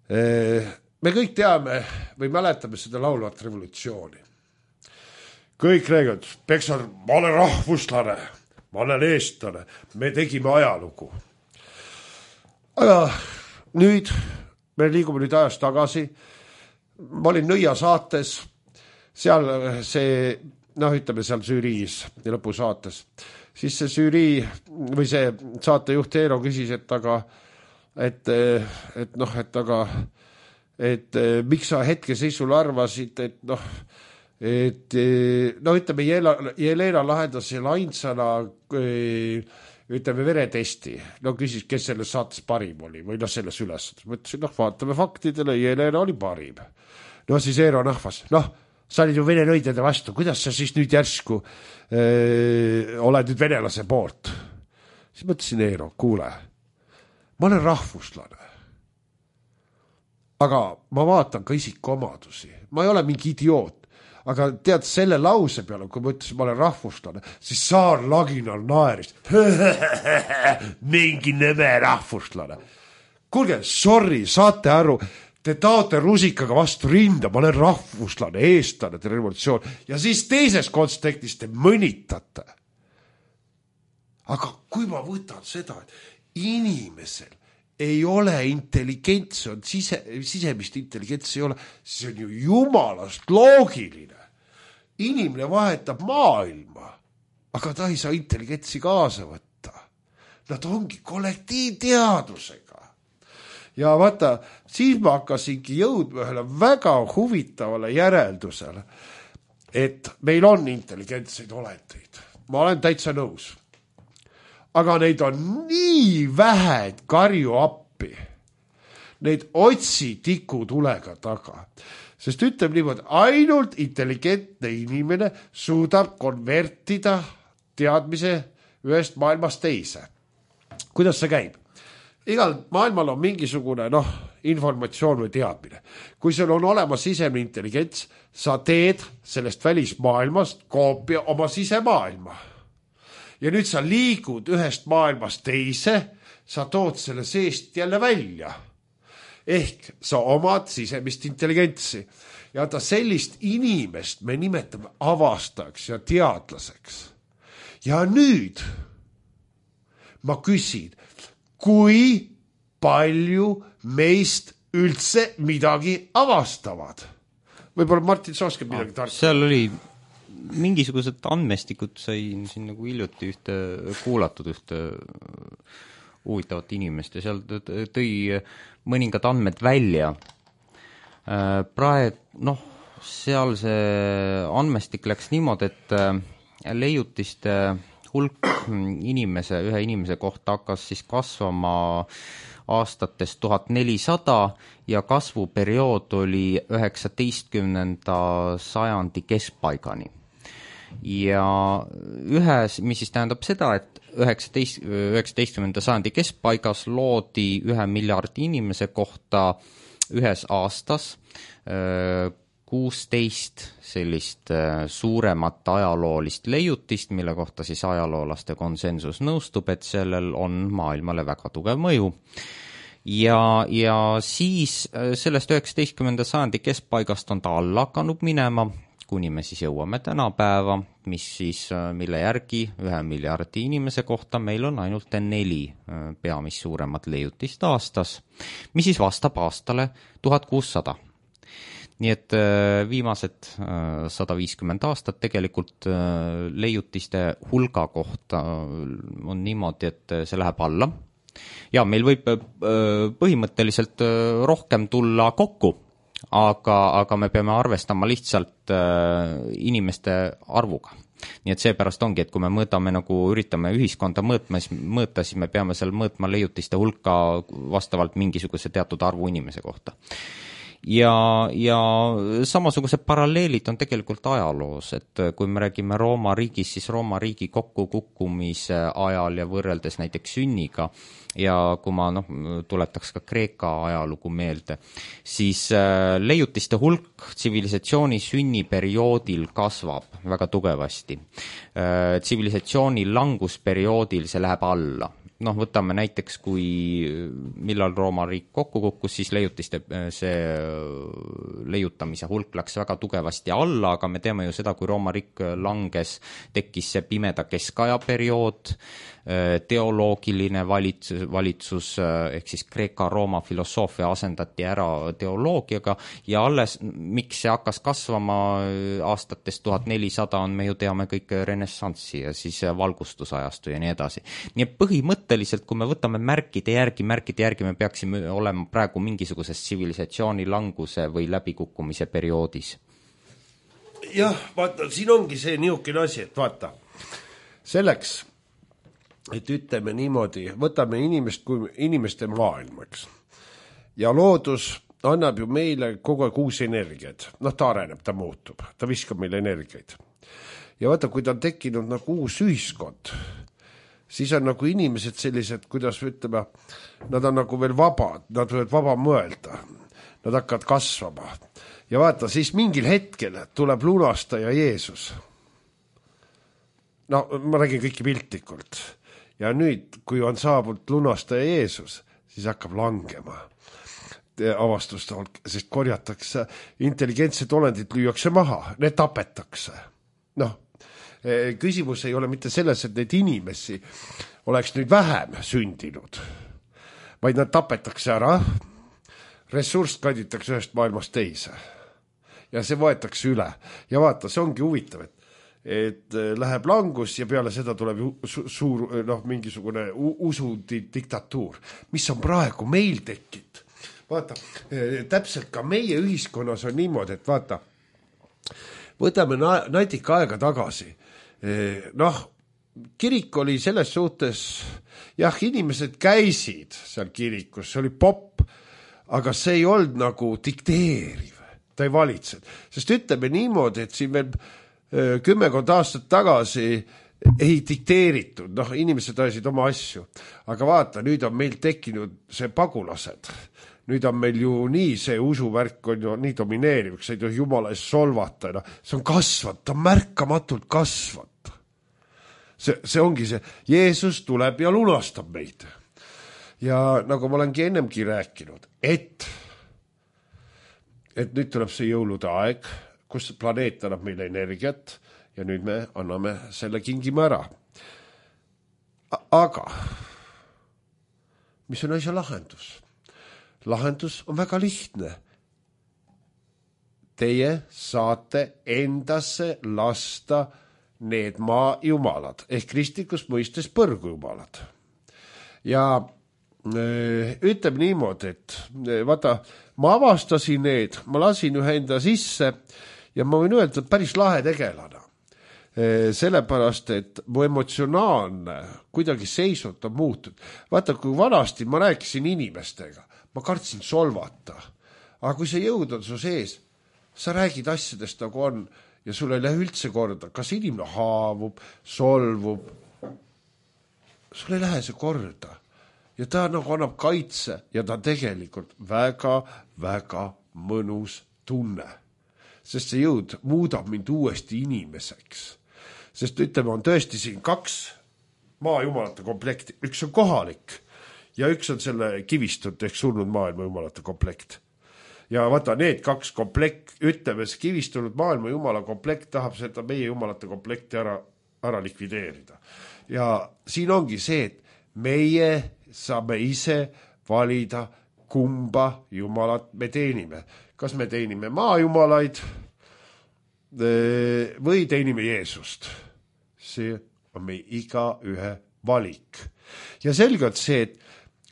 Me kõik teame või mäletame seda laulvat revolutsiooni. Kõik räägivad, Peksar, ma olen rahvuslane, ma olen eestlane, me tegime ajalugu. Aga nüüd, me liigume nüüd ajas tagasi, ma olin Nõia saates, seal see, ütleme seal žüriis ja lõpusaates, siis see žürii või see saatejuht Eero küsis, et miks sa hetkeseisul arvasid, ütleme, Jelena lahendas selle ainsana ütleme veretesti. Küsis, kes selles saates parim oli või selles üles. Mõtlesin, vaatame faktidele, Jelena oli parim. Siis Eero nahvas. Sa olid ju vene nõidede vastu. Kuidas sa siis nüüd järsku oled nüüd venelase poolt? Siis mõtlesin Eero, kuule, ma olen rahvuslane. Aga ma vaatan ka isikuomadusi. Ma ei ole mingi idioot. Aga tead, selle lause peale, kui ma ütlesin, ma olen rahvuslane, siis Saar Laginal naeris. Mingi neme rahvuslane. Kuulge, sorry, saate aru, te taote rusikaga vastu rinda, ma olen rahvuslane, eestlane, te revolutsioon. Ja siis teises kontekstis te mõnitate. Aga kui ma võtan seda, et inimesel ei ole intelligents, on sisemist intelligents ei ole, see on ju jumalast loogiline. Inimene vahetab maailma, aga ta ei saa intelligentsi kaasa võtta. Nad ongi kollektiivteadusega. Ja vaata, siis ma hakkasingi jõudma ühele väga huvitavale järeldusele, et meil on intelligentseid olendeid. Ma olen täitsa nõus. Aga neid on nii vähe, et karju appi. Neid otsi tikutulega taga. Sest ütleb niimoodi, ainult intelligentne inimene suudab konvertida teadmise ühest maailmast teise. Kuidas see käib? Igal maailmal on mingisugune informatsioon või teadmine. Kui sul on olemas sisemine intelligents, sa teed sellest välismaailmast koopia oma sisemaailma. Ja nüüd sa liigud ühest maailmast teise, sa tood selle seest jälle välja. Ehk sa omad sisemist intelligentsi. Ja sellist inimest me nimetame avastajaks ja teadlaseks. Ja nüüd ma küsin, kui palju meist üldse midagi avastavad? Võib-olla Martin, sa oskab midagi tarka? Seal oli mingisugused andmestikud, sain siin nagu hiljuti kuulatud ühte huvitavat inimest ja seal tõi mõningad andmed välja. Seal see andmestik läks niimoodi, et leiutiste hulk ühe inimese kohta hakkas siis kasvama aastates 1400 ja kasvuperiood oli 19. sajandi keskpaigani. Ja mis siis tähendab seda, et 19. sajandi keskpaigas loodi 1 miljardi inimese kohta ühes aastas 16 sellist suuremat ajaloolist leiutist, mille kohta siis ajaloolaste konsensus nõustub, et sellel on maailmale väga tugev mõju. ja siis sellest 19. sajandi keskpaigast on ta alla hakanud minema, kuni me siis jõuame tänapäeva, mille järgi 1 miljardi inimese kohta meil on ainult 4 peamist suuremat leiutist aastas, mis siis vastab aastale 1600. Nii et viimased 150 aastat tegelikult leiutiste hulga kohta on niimoodi, et see läheb alla. Ja meil võib põhimõtteliselt rohkem tulla kokku, aga me peame arvestama lihtsalt inimeste arvuga. Nii et seepärast ongi, et kui me üritame ühiskonda mõõta, siis me peame seal mõõtma leiutiste hulka vastavalt mingisuguse teatud arvu inimese kohta. Ja samasugused paralleelid on tegelikult ajaloos, et kui me räägime Rooma riigis, siis Rooma riigi kokkukukkumise ajal ja võrreldes näiteks sünniga, ja kui ma tuletaks ka Kreeka ajalugu meelde, siis leiutiste hulk tsivilisatsiooni sünniperioodil kasvab väga tugevasti. Tsivilisatsiooni langusperioodil see läheb alla. Võtame näiteks, millal Rooma riik kokku kukkus, siis see leiutamise hulk läks väga tugevasti alla, aga me teame ju seda, kui Rooma riik langes, tekkis see pimeda keskaja periood, teoloogiline valitsus ehk siis Kreeka-Rooma filosoofia asendati ära teoloogiaga ja alles, miks see hakkas kasvama aastatest 1400 on, me ju teame kõik renessanssi ja siis valgustusajastu ja nii edasi. Nii et põhimõtteliselt, kui me võtame märkide järgi, me peaksime olema praegu mingisuguses tsivilisatsiooni languse või läbikukkumise perioodis. Jah, vaata, siin ongi see niisugune asi, et vaata, selleks et ütleme niimoodi, võtame inimeste maailmaks. Ja loodus annab ju meile kogu aeg uusi energiaid. Ta areneb, ta muutub, ta viskab meile energiaid. Ja vaata, kui ta on tekkinud uus ühiskond, siis on inimesed sellised, kuidas ütleme, nad on veel vabad, nad võivad vaba mõelda, nad hakkavad kasvama. Ja vaata, siis mingil hetkel tuleb lunastaja Jeesus. Ma räägin kõiki piltlikult. Ja nüüd, kui on saabunud lunastaja Jeesus, siis hakkab langema avastuste hulk, sest korjatakse, intelligentsed olendid lüüakse maha, need tapetakse. Küsimus ei ole mitte selles, et neid inimesi oleks nüüd vähem sündinud, vaid nad tapetakse ära, ressurss kanditakse ühest maailmast teise ja see võetakse üle. Ja vaata, see ongi huvitav, et läheb langus ja peale seda tuleb suur mingisugune usudiktatuur, mis on praegu meil tekkinud. Vaata, täpselt ka meie ühiskonnas on niimoodi, et vaata, võtame natika aega tagasi. Kirik oli selles suhtes, inimesed käisid seal kirikus, see oli popp, aga see ei olnud nagu dikteeriv, ta ei valitsenud. Sest ütleme niimoodi, et siin veel 10 aastat tagasi ei dikteeritud, inimesed ajasid oma asju, aga vaata, nüüd on meil tekkinud see pagulased, nüüd on meil ju nii see usuvärk on ju nii domineeriv, sa ei tohi Jumala ees solvata, see on kasvanud, ta märkamatult kasvanud. See ongi see, Jeesus tuleb ja lunastab meid. Ja nagu ma olengi ennemgi rääkinud, et nüüd tuleb see jõulude aeg, kus planeet annab meile energiat ja nüüd me anname selle kingime ära. Aga mis on asja lahendus? Lahendus on väga lihtne. Teie saate endasse lasta need maajumalad ehk kristlikus mõistes põrgujumalad. Ja ütleme niimoodi, et vaata, ma avastasin need, ma lasin ühe enda sisse ja ma võin öelda, et päris lahe tegelane. Sellepärast, et mu emotsionaalne kuidagi seisund on muutunud. Vaata, kui vanasti ma rääkisin inimestega, ma kartsin solvata. Aga kui see jõud on su sees, sa räägid asjadest nagu on ja sul ei lähe üldse korda. Kas inimene haavub, solvub? Sul ei lähe see korda. Ja ta nagu annab kaitse ja ta tegelikult väga, väga mõnus tunne. Sest see jõud muudab mind uuesti inimeseks. Sest ütleme, on tõesti siin 2 maajumalate komplekti. Üks on kohalik ja üks on selle kivistut ehk surnud maailma jumalate komplekt. Ja vaata, need kaks komplekt, ütleme, see kivistunud maailma jumala komplekt tahab seda meie jumalate komplekti ära likvideerida. Ja siin ongi see, et meie saame ise valida, kumba jumalat me teenime. Kas me teenime maajumalaid või teenime Jeesust. See on meie igaühe valik. Ja selgelt see, et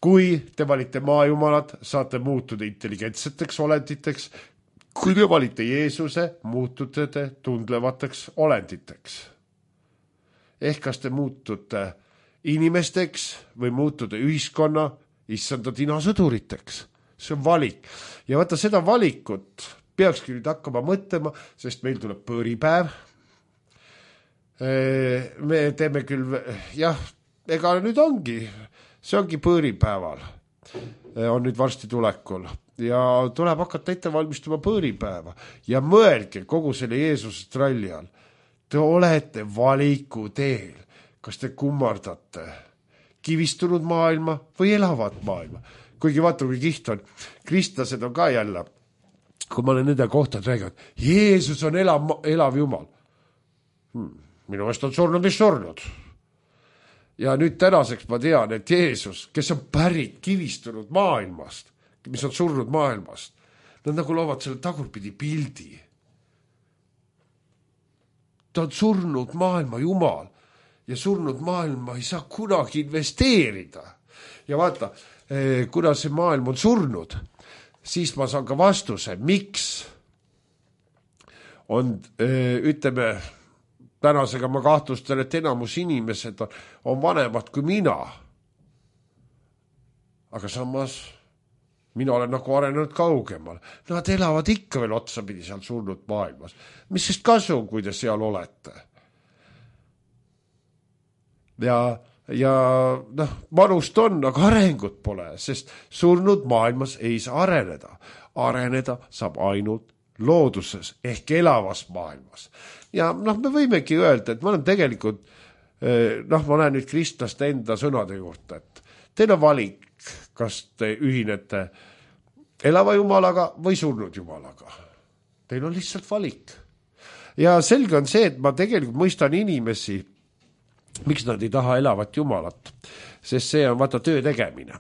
kui te valite maajumalad, saate muutuda intelligentseteks olenditeks. Kui te valite Jeesuse, muutute te tundlevateks olenditeks. Ehk kas te muutute inimesteks või muutute ühiskonna issanda tinasõduriteks. See on valik. Ja vaata, seda valikut peakski nüüd hakkama mõtlema, sest meil tuleb põõripäev. Me teeme küll, jah, ega nüüd ongi, see ongi põõripäeval. On nüüd varsti tulekul. Ja tuleb hakata ette valmistuma põõripäeva. Ja mõelge kogu selle Jeesuse tralli all. Te olete valiku teel. Kas te kummardate kivistunud maailma või elavat maailma? Kuigi vaata, kui kiht on. Kristlased on ka jälle, kui ma olen nende kohta rääginud, Jeesus on elav jumal. Minu meelest on surnud, mis surnud. Ja nüüd tänaseks ma tean, et Jeesus, kes on pärit kivistunud maailmast, mis on surnud maailmast, nad nagu loovad selle tagurpidi pildi. Ta on surnud maailma jumal ja surnud maailma ei saa kunagi investeerida. Ja vaata, kuna see maailm on surnud, siis ma saan ka vastuse, miks on, ütleme, tänasega ma kahtlustan, et enamus inimesed on vanemad kui mina. Aga samas mina olen nagu arenenud kaugemal. Nad elavad ikka veel otsapidi seal surnud maailmas. Mis sest kasu, kui te seal olete? Ja manust on, aga arengut pole, sest surnud maailmas ei saa areneda. Areneda saab ainult looduses ehk elavas maailmas. Ja me võimegi öelda, et ma olen tegelikult, ma näen nüüd kristlaste enda sõnade juurde, et teil on valik, kas te ühinete elava jumalaga või surnud jumalaga. Teil on lihtsalt valik. Ja selge on see, et ma tegelikult mõistan inimesi, miks nad ei taha elavat jumalat, sest see on vaata töö tegemine.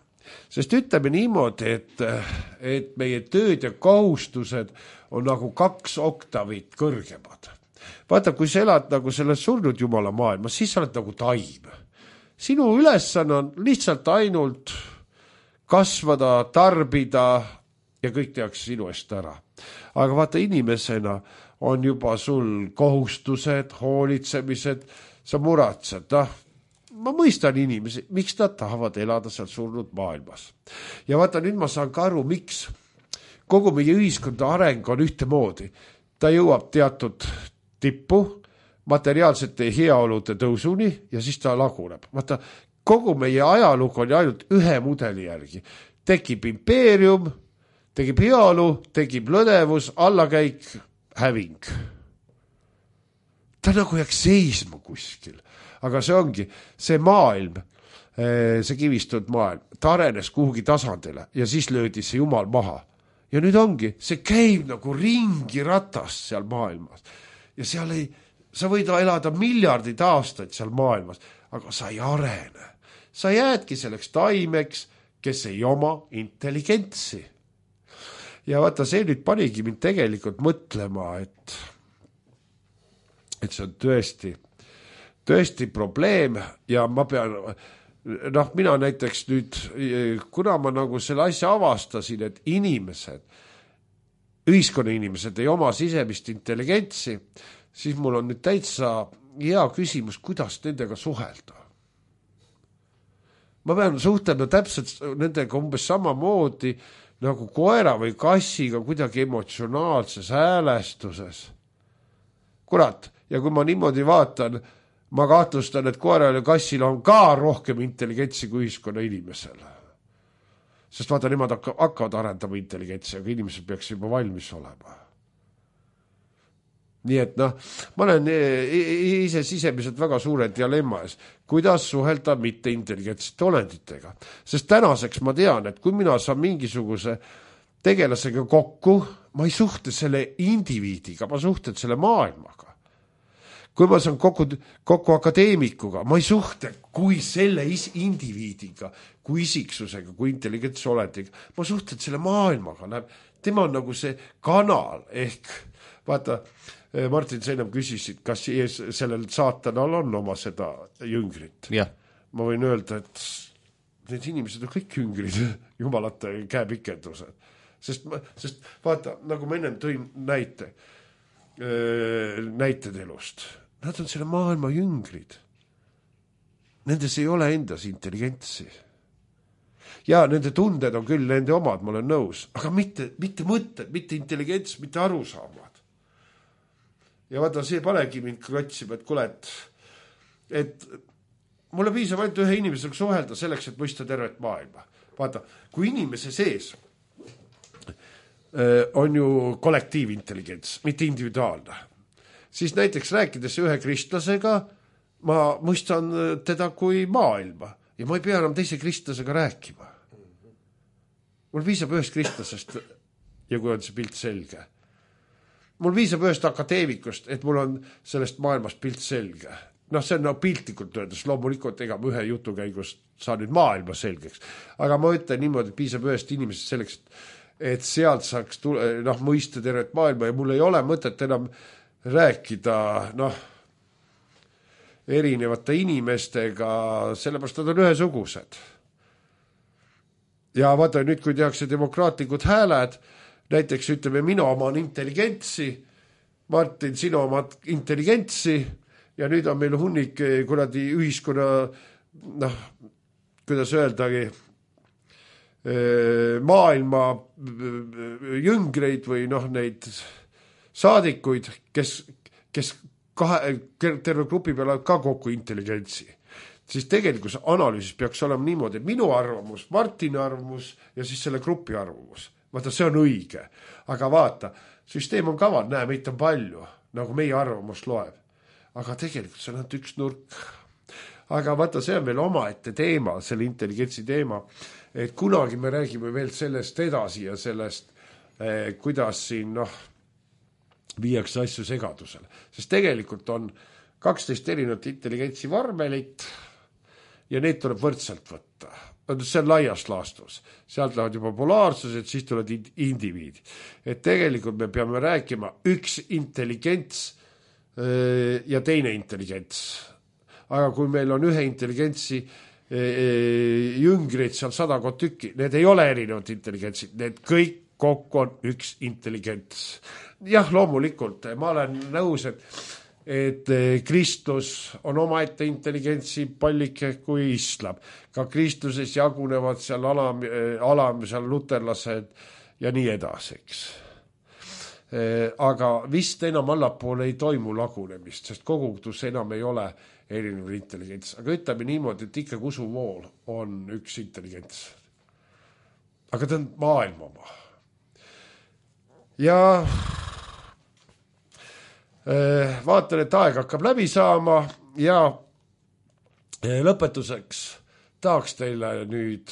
Sest ütleme niimoodi, et meie tööd ja kohustused on nagu 2 oktavit kõrgemad. Vaata, kui sa elad nagu selles surnud jumala maailmas, siis sa oled nagu taim. Sinu ülesanne on lihtsalt ainult kasvada, tarbida ja kõik tehakse sinu eest ära. Aga vaata, inimesena on juba sul kohustused, hoolitsemised, sa muratsed, ma mõistan inimesi, miks nad tahavad elada seal surnud maailmas. Ja vaata, nüüd ma saan ka aru, miks kogu meie ühiskonda areng on ühtemoodi. Ta jõuab teatud tippu, materiaalsete heaolude tõusuni ja siis ta laguneb. Vaata, kogu meie ajalugu on ainult ühe mudeli järgi. Tekib impeerium, tekib heaolu, tekib lõdevus, allakäik, häving. Ta nagu jääks seisma kuskil. Aga see ongi, see maailm, see kivistunud maailm, ta arenes kuhugi tasandile ja siis löödi see jumal maha. Ja nüüd ongi, see käib nagu ringi ratast seal maailmas. Ja seal sa võid elada miljardid aastaid seal maailmas, aga sa ei arene. Sa jäädki selleks taimeks, kes ei oma intelligentsi. Ja vaata, see nüüd panigi mind tegelikult mõtlema, et see on tõesti probleem ja ma pean, mina näiteks nüüd, kuna ma nagu selle asja avastasin, et ühiskonna inimesed ei oma sisemist intelligentsi, siis mul on nüüd täitsa hea küsimus, kuidas nendega suhelda. Ma pean suhtlema täpselt nendega umbes samamoodi nagu koera või kassiga kuidagi emotsionaalses häälestuses. Kurat, ja kui ma niimoodi vaatan, ma kahtlustan, et koeral ja kassil on ka rohkem intelligentsi kui ühiskonna inimesel. Sest vaata, nemad hakkavad arendama intelligentsi, aga inimesed peaks juba valmis olema. nii et noh, ma olen ise sisemiselt väga suure dilemma ees, kuidas suhelda mitteintelligentsete olenditega. Sest tänaseks ma tean, et kui mina saan mingisuguse tegelasega kokku, ma ei suhtle selle indiviidiga, ma suhtlen selle maailmaga. Kui ma saan kokku akadeemikuga, ma ei suhtle kui selle indiviidiga, kui isiksusega, kui intelligentse olendiga, ma suhtlen selle maailmaga. Tema on nagu see kanal ehk vaata, Martin, sa enam küsisid, kas sellel saatanal on oma seda jüngrit. Jah. Ma võin öelda, et need inimesed on kõik jüngrid, jumalate käepikendused. Sest vaata, nagu ma ennem tõin näited elust, nad on selle maailma jüngrid. Nendes ei ole endas intelligentsi. Ja nende tunded on küll nende omad, ma olen nõus, aga mitte mõtted, mitte intelligents, mitte arusaamad. Ja vaata, see panegi mind klotsima, et kuule, et mulle piisab ainult ühe inimesega suhelda selleks, et mõista tervet maailma. Vaata, kui inimese sees on ju kollektiivintelligents, mitte individuaalne, siis näiteks rääkides ühe kristlasega, ma mõistan teda kui maailma ja ma ei pea enam teise kristlasega rääkima. Mul piisab ühest kristlasest ja kui on see pilt selge. Mul piisab ühest akadeemikust, et mul on sellest maailmast pilt selge. Noh, see on piltlikult öeldes, loomulikult ega ma ühe jutu käigus saan nüüd maailma selgeks. Aga ma ütlen niimoodi, et piisab ühest inimesest selleks, et sealt saaks mõista tervet maailma ja mul ei ole mõtet enam rääkida erinevate inimestega, sellepärast nad on ühesugused. Ja vaata, nüüd kui tehakse demokraatlikud hääled, näiteks ütleme, mina oman intelligentsi, Martin, sina omad intelligentsi ja nüüd on meil hunnik kuradi ühiskonna, kuidas öeldagi, maailma jüngreid või neid saadikuid, kes terve grupi peale ka kokku intelligentsi. Siis tegelikult analüüsis peaks olema niimoodi, et minu arvamus, Martini arvamus ja siis selle grupi arvamus. Vaata, see on õige. Aga vaata, süsteem on kaval, näe, meid on palju, nagu meie arvamus loeb. Aga tegelikult see on ainult üks nurk. Aga vaata, see on veel omaette teema, selle intelligentsi teema, et kunagi me räägime veel sellest edasi ja sellest, kuidas siin viiakse asju segadusele. Sest tegelikult on 12 erinevat intelligentsi vormelit ja neid tuleb võrdselt võtta. See on laias laastus. Sealt lähevad juba polaarsused, siis tulevad indiviidi. Et tegelikult me peame rääkima üks intelligents ja teine intelligents. Aga kui meil on ühe intelligentsi jüngreid seal 100 tükki, need ei ole erinevad intelligentsid, need kõik kokku on üks intelligents. Jah, loomulikult, ma olen nõus, et Kristus on omaette intelligentsi pallike kui islam. Ka Kristuses jagunevad seal alam seal luterlased ja nii edaseks. Aga vist enam allapoole ei toimu lagunemist, sest kogudus enam ei ole erinev intelligents. Aga ütleme niimoodi, et ikka usuvool on üks intelligents. Aga ta on maailma oma. Ja vaatan, et aeg hakkab läbi saama ja lõpetuseks tahaks teile nüüd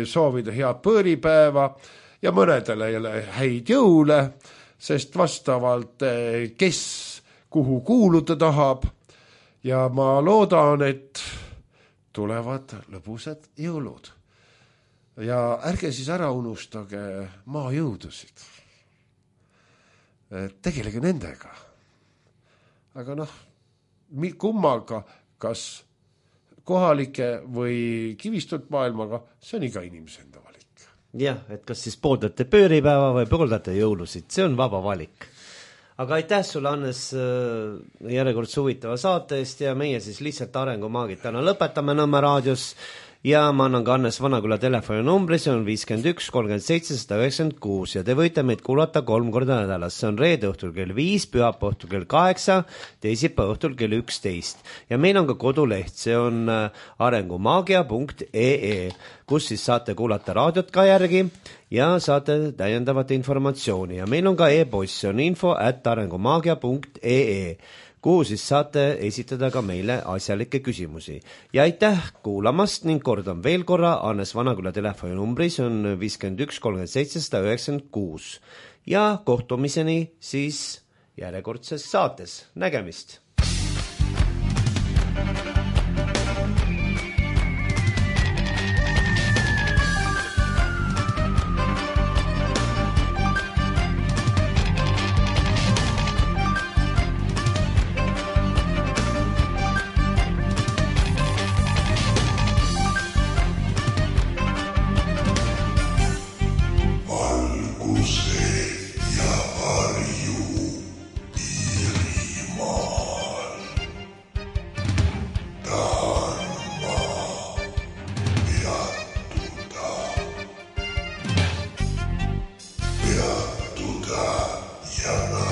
soovida head põõripäeva ja mõnedele häid jõule, sest vastavalt kes kuhu kuuluda tahab ja ma loodan, et tulevad lõbusad jõulud. Ja ärge siis ära unustage maajõudusid. Tegelege nendega. Aga kummaga, kas kohalike või kivistut maailmaga, see on iga inimese enda valik. Jah, et kas siis pooldate pööripäeva või pooldate jõulusid, see on vaba valik. Aga aitäh sulle, Hannes, järjekordse huvitava saate eest ja meie siis lihtsalt arengumaagid täna lõpetame Nõmme raadios ja ma annan ka Hannes Vanaküla telefoninumbri, see on 51 37 196 ja te võite meid kuulata 3 korda nädalas, see on reede õhtul kell 5, pühapäeva õhtul kell 8, teisipäeva õhtul kell 11 ja meil on ka koduleht, see on arengumaagia.ee, kus siis saate kuulata raadiot ka järgi ja saate täiendavat informatsiooni ja meil on ka e-post, see on info@arengumaagia.ee, kuhu siis saate esitada ka meile asjalikke küsimusi. Ja aitäh kuulamast ning kordan veel korra Hannes Vanaküla telefoninumbri, see on 51 37 196 ja kohtumiseni siis järjekordses saates. Nägemist! Ja